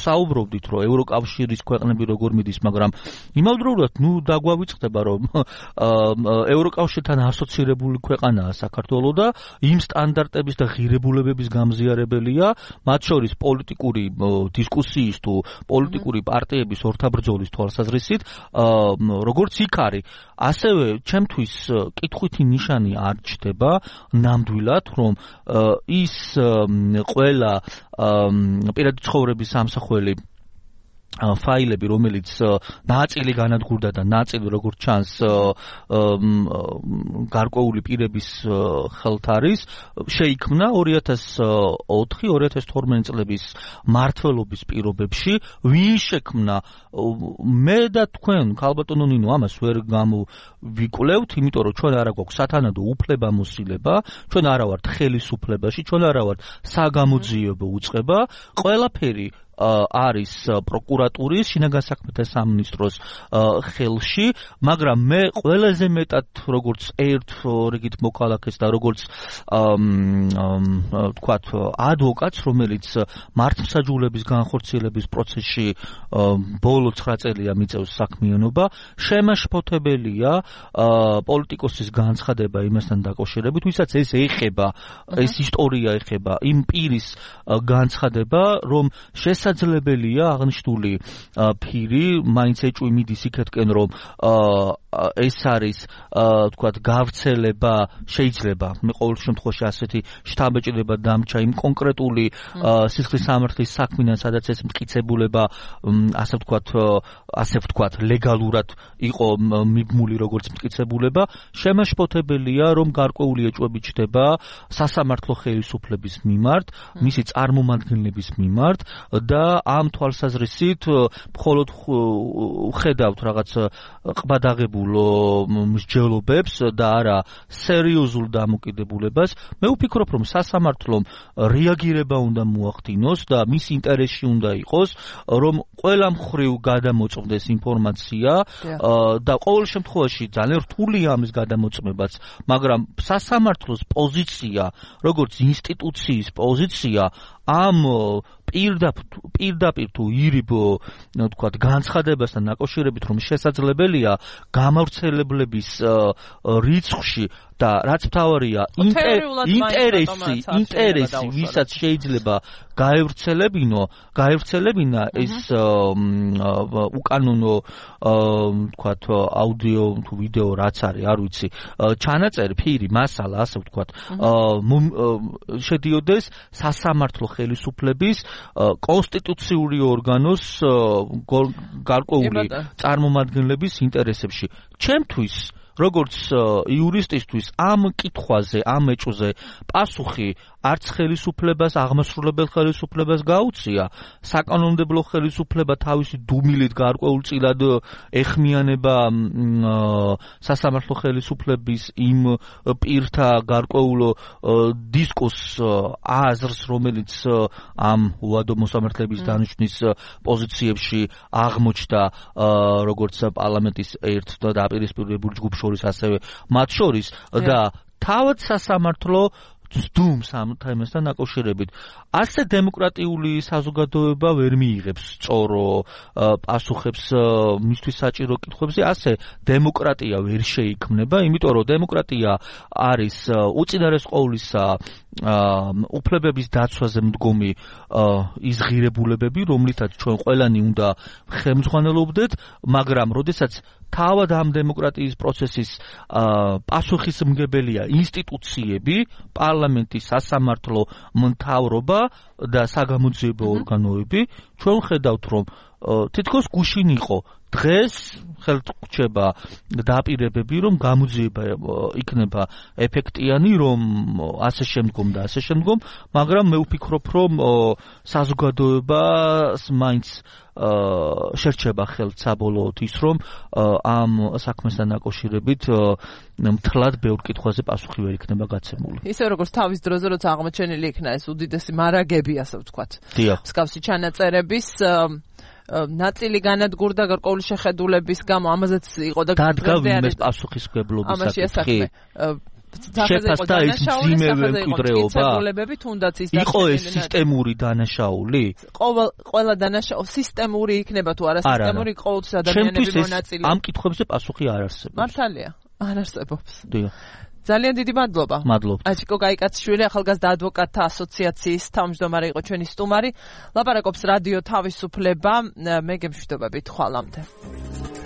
საუბრობდით რომ ევროკავშირის ქვეყნები როგორ მიდის მაგრამ იმავდროულად ნუ დაგვავიწყდება რომ ევროკავშირთან ასოცირებული ქვეყანაა საქართველო და იმ სტანდარტების და ღირებულებების გამზიარებელია მათ შორის პოლიტიკური დისკუსიის თუ პოლიტიკური პარტიების ორთაბრძოლის თვალსაზრისით როგორც იქ არის ასევე ჩემთვის კითხვითი ნიშანი არ ჩდება ნამდვილად რომ ის ყველა პირადი ცხოვრების სამსახველი ფაილები რომელიც ნაწილი განადგურდა და ნაწილი როგორც ჩანს გარკვეული პირების ხელთ არის შეიქმნა ორი ათას ოთხი ორი ათას თორმეტი წლების მმართველობის პირობებში ვინ შექმნა მე და თქვენ ქალბატონო ნინო ამას ვერ გამოვიკვლევთ იმიტომ რომ ჩვენ არა გვაქვს სათანადო უფლებამოსილება ჩვენ არა ვართ ხელისუფლებაში ჩვენ არა ვართ საგამოძიებო უწყება ყველაფერი არის პროკურატურის შინაგან საქმეთა სამინისტროს ხელში, მაგრამ მე ყველაზე მეტად როგორც ერთ რიგით მოქალაქეს და როგორც ვთქვათ ადვოკატს, რომელიც მართლმსაჯულების განხორციელების პროცესში ბოლო ცხრა წელია მიწევს საქმიანობა, შემაშფოთებელია პოლიტიკოსის განცხადება იმასთან დაკავშირებით, ვისაც ეს ეხება, ეს ისტორია ეხება იმ პირის განცხადება, რომ შესაძლებელია აღნიშნული ფირი მაინც ეჭვი მიდის იქეთკენ რომ ეს არის თქვათ გავრცელება შეიძლება მე ყოველ შემთხვევაში ასეთი შთაბეჭდილება დამჭა იმ კონკრეტული სისხლის სამართლის საქმიდან სადაც ეს მტკიცებულება ასე ვთქვათ ასე ვთქვათ ლეგალურად იყო მიბმული როგორც მტკიცებულება შემაშფოთებელია რომ გარკვეული ეჭვები ჩდება სასამართლო ხელისუფლების მიმართ მისი წარმომადგენლების მიმართ და ამ თვალსაზრისით მხოლოდ ხედავთ რაღაც ყბადაღებულ მსჯელობებს და არა სერიოზულ დამოკიდებულებას მე ვფიქრობ რომ სასამართლომ რეაგირება უნდა მოახდინოს და მის ინტერესში უნდა იყოს რომ ყველა მხრივ გადამოწმდეს ინფორმაცია და ყოველ შემთხვევაში ძალიან რთულია ამის გადამოწმებაც მაგრამ სასამართლოს პოზიცია როგორც ინსტიტუციის პოზიცია ამ პირდაპირ თუ ირიბ თქვათ განცხადებასთან დაკავშირებით რომ შესაძლებელია გამავრცელებლების რიცხვში და რაც მთავარია ინტერესი ინტერესი ვისაც შეიძლება გაევრცელებინო გაევრცელებინა ეს უკანონო თქვათ აუდიო თუ ვიდეო რაც არის არ ვიცი ჩანაწერი ფირი მასალა ასე ვთქვათ შედიოდეს სასამართლო ხელისუფლების კონსტიტუციური ორგანოს გარკვეული წარმომადგენლების ინტერესებში ჩემთვის როგორც იურისტისთვის ამ კითხვაზე ამ ეჭვზე პასუხი არც ხელისუფლებას აღმასრულებელ ხელისუფლებას გაუწია საკანონმდებლო ხელისუფლება თავისი დუმილით გარკვეულწილად ეხმიანება სასამართლო ხელისუფლების იმ პირთა გარკვეულ დისკურს აზრს რომელიც ამ უადო მოსამართლეების დანიშვნის პოზიციებში აღმოჩნდა როგორც პარლამენტის ერთ დაპირისპირებულ ჯგუფ შორის ასევე მათ შორის და თავად სასამართლო ძდუმს ამ თემასთან დაკავშირებით. ასე დემოკრატიული საზოგადოება ვერ მიიღებს სწორო პასუხებს მისთვის საჭირო კითხვებზე, ასე დემოკრატია ვერ შეიქმნება, იმიტომ რომ დემოკრატია არის უწინარეს ყოვლისა უფლებების დაცვაზე მდგომი ის ღირებულებები, რომლითაც ჩვენ ყველანი უნდა ხელმძღვანელობდეთ, მაგრამ როდესაც თავად ამ დემოკრატიის პროცესის პასუხისმგებელია ინსტიტუციები, პარლამენტი, სასამართლო, მთავრობა და საგამოძიებო ორგანოები. ჩვენ ხედავთ, რომ თითქოს გუშინ იყო დღეს ხელრჩება დაპირებები, რომ გამოძიება იქნება ეფექტიანი, რომ ასე შემდგომ და ასე შემდგომ, მაგრამ მე ვფიქრობ, რომ საზოგადოებას მაინც შერჩება ხელთ საბოლოოდ ის, რომ ამ საქმესთან დაკავშირებით მთლად ბევრ კითხვაზე პასუხი ვერ იქნება გაცემული. ისე როგორც თავის დროზე, როცა აღმოჩენილი იქნა ეს უდიდესი მარაგები, ასე ვთქვათ. დიახ. მსგავსი ჩანაწერების ნაწილი განადგურდა გარკვეული შეხედულების გამო, ამაზეც იყო და დადგა ვინმეს პასუხისმგებლობის საკითხი. შეფასდა ის მძიმე მემკვიდრეობა? თუნდაც ის იყო ეს სისტემური დანაშაული? ყოველ ყველა დანაშაული სისტემური იქნება თუ არა სისტემური ყოველთვის ადამიანები მონაწილე. ამ კითხვებზე პასუხი არ არსებობს. მართალია, არ არსებობს. დიახ. ძალიან დიდი მადლობა. მადლობთ. აჩიკო გაიკაცშვილი, ახალგაზრდა ადვოკატთა ასოციაციის თავმჯდომარე იყო ჩვენი სტუმარი. ლაპარაკობს რადიო თავისუფლება. მე გემშვიდობებით, ხვალამდე.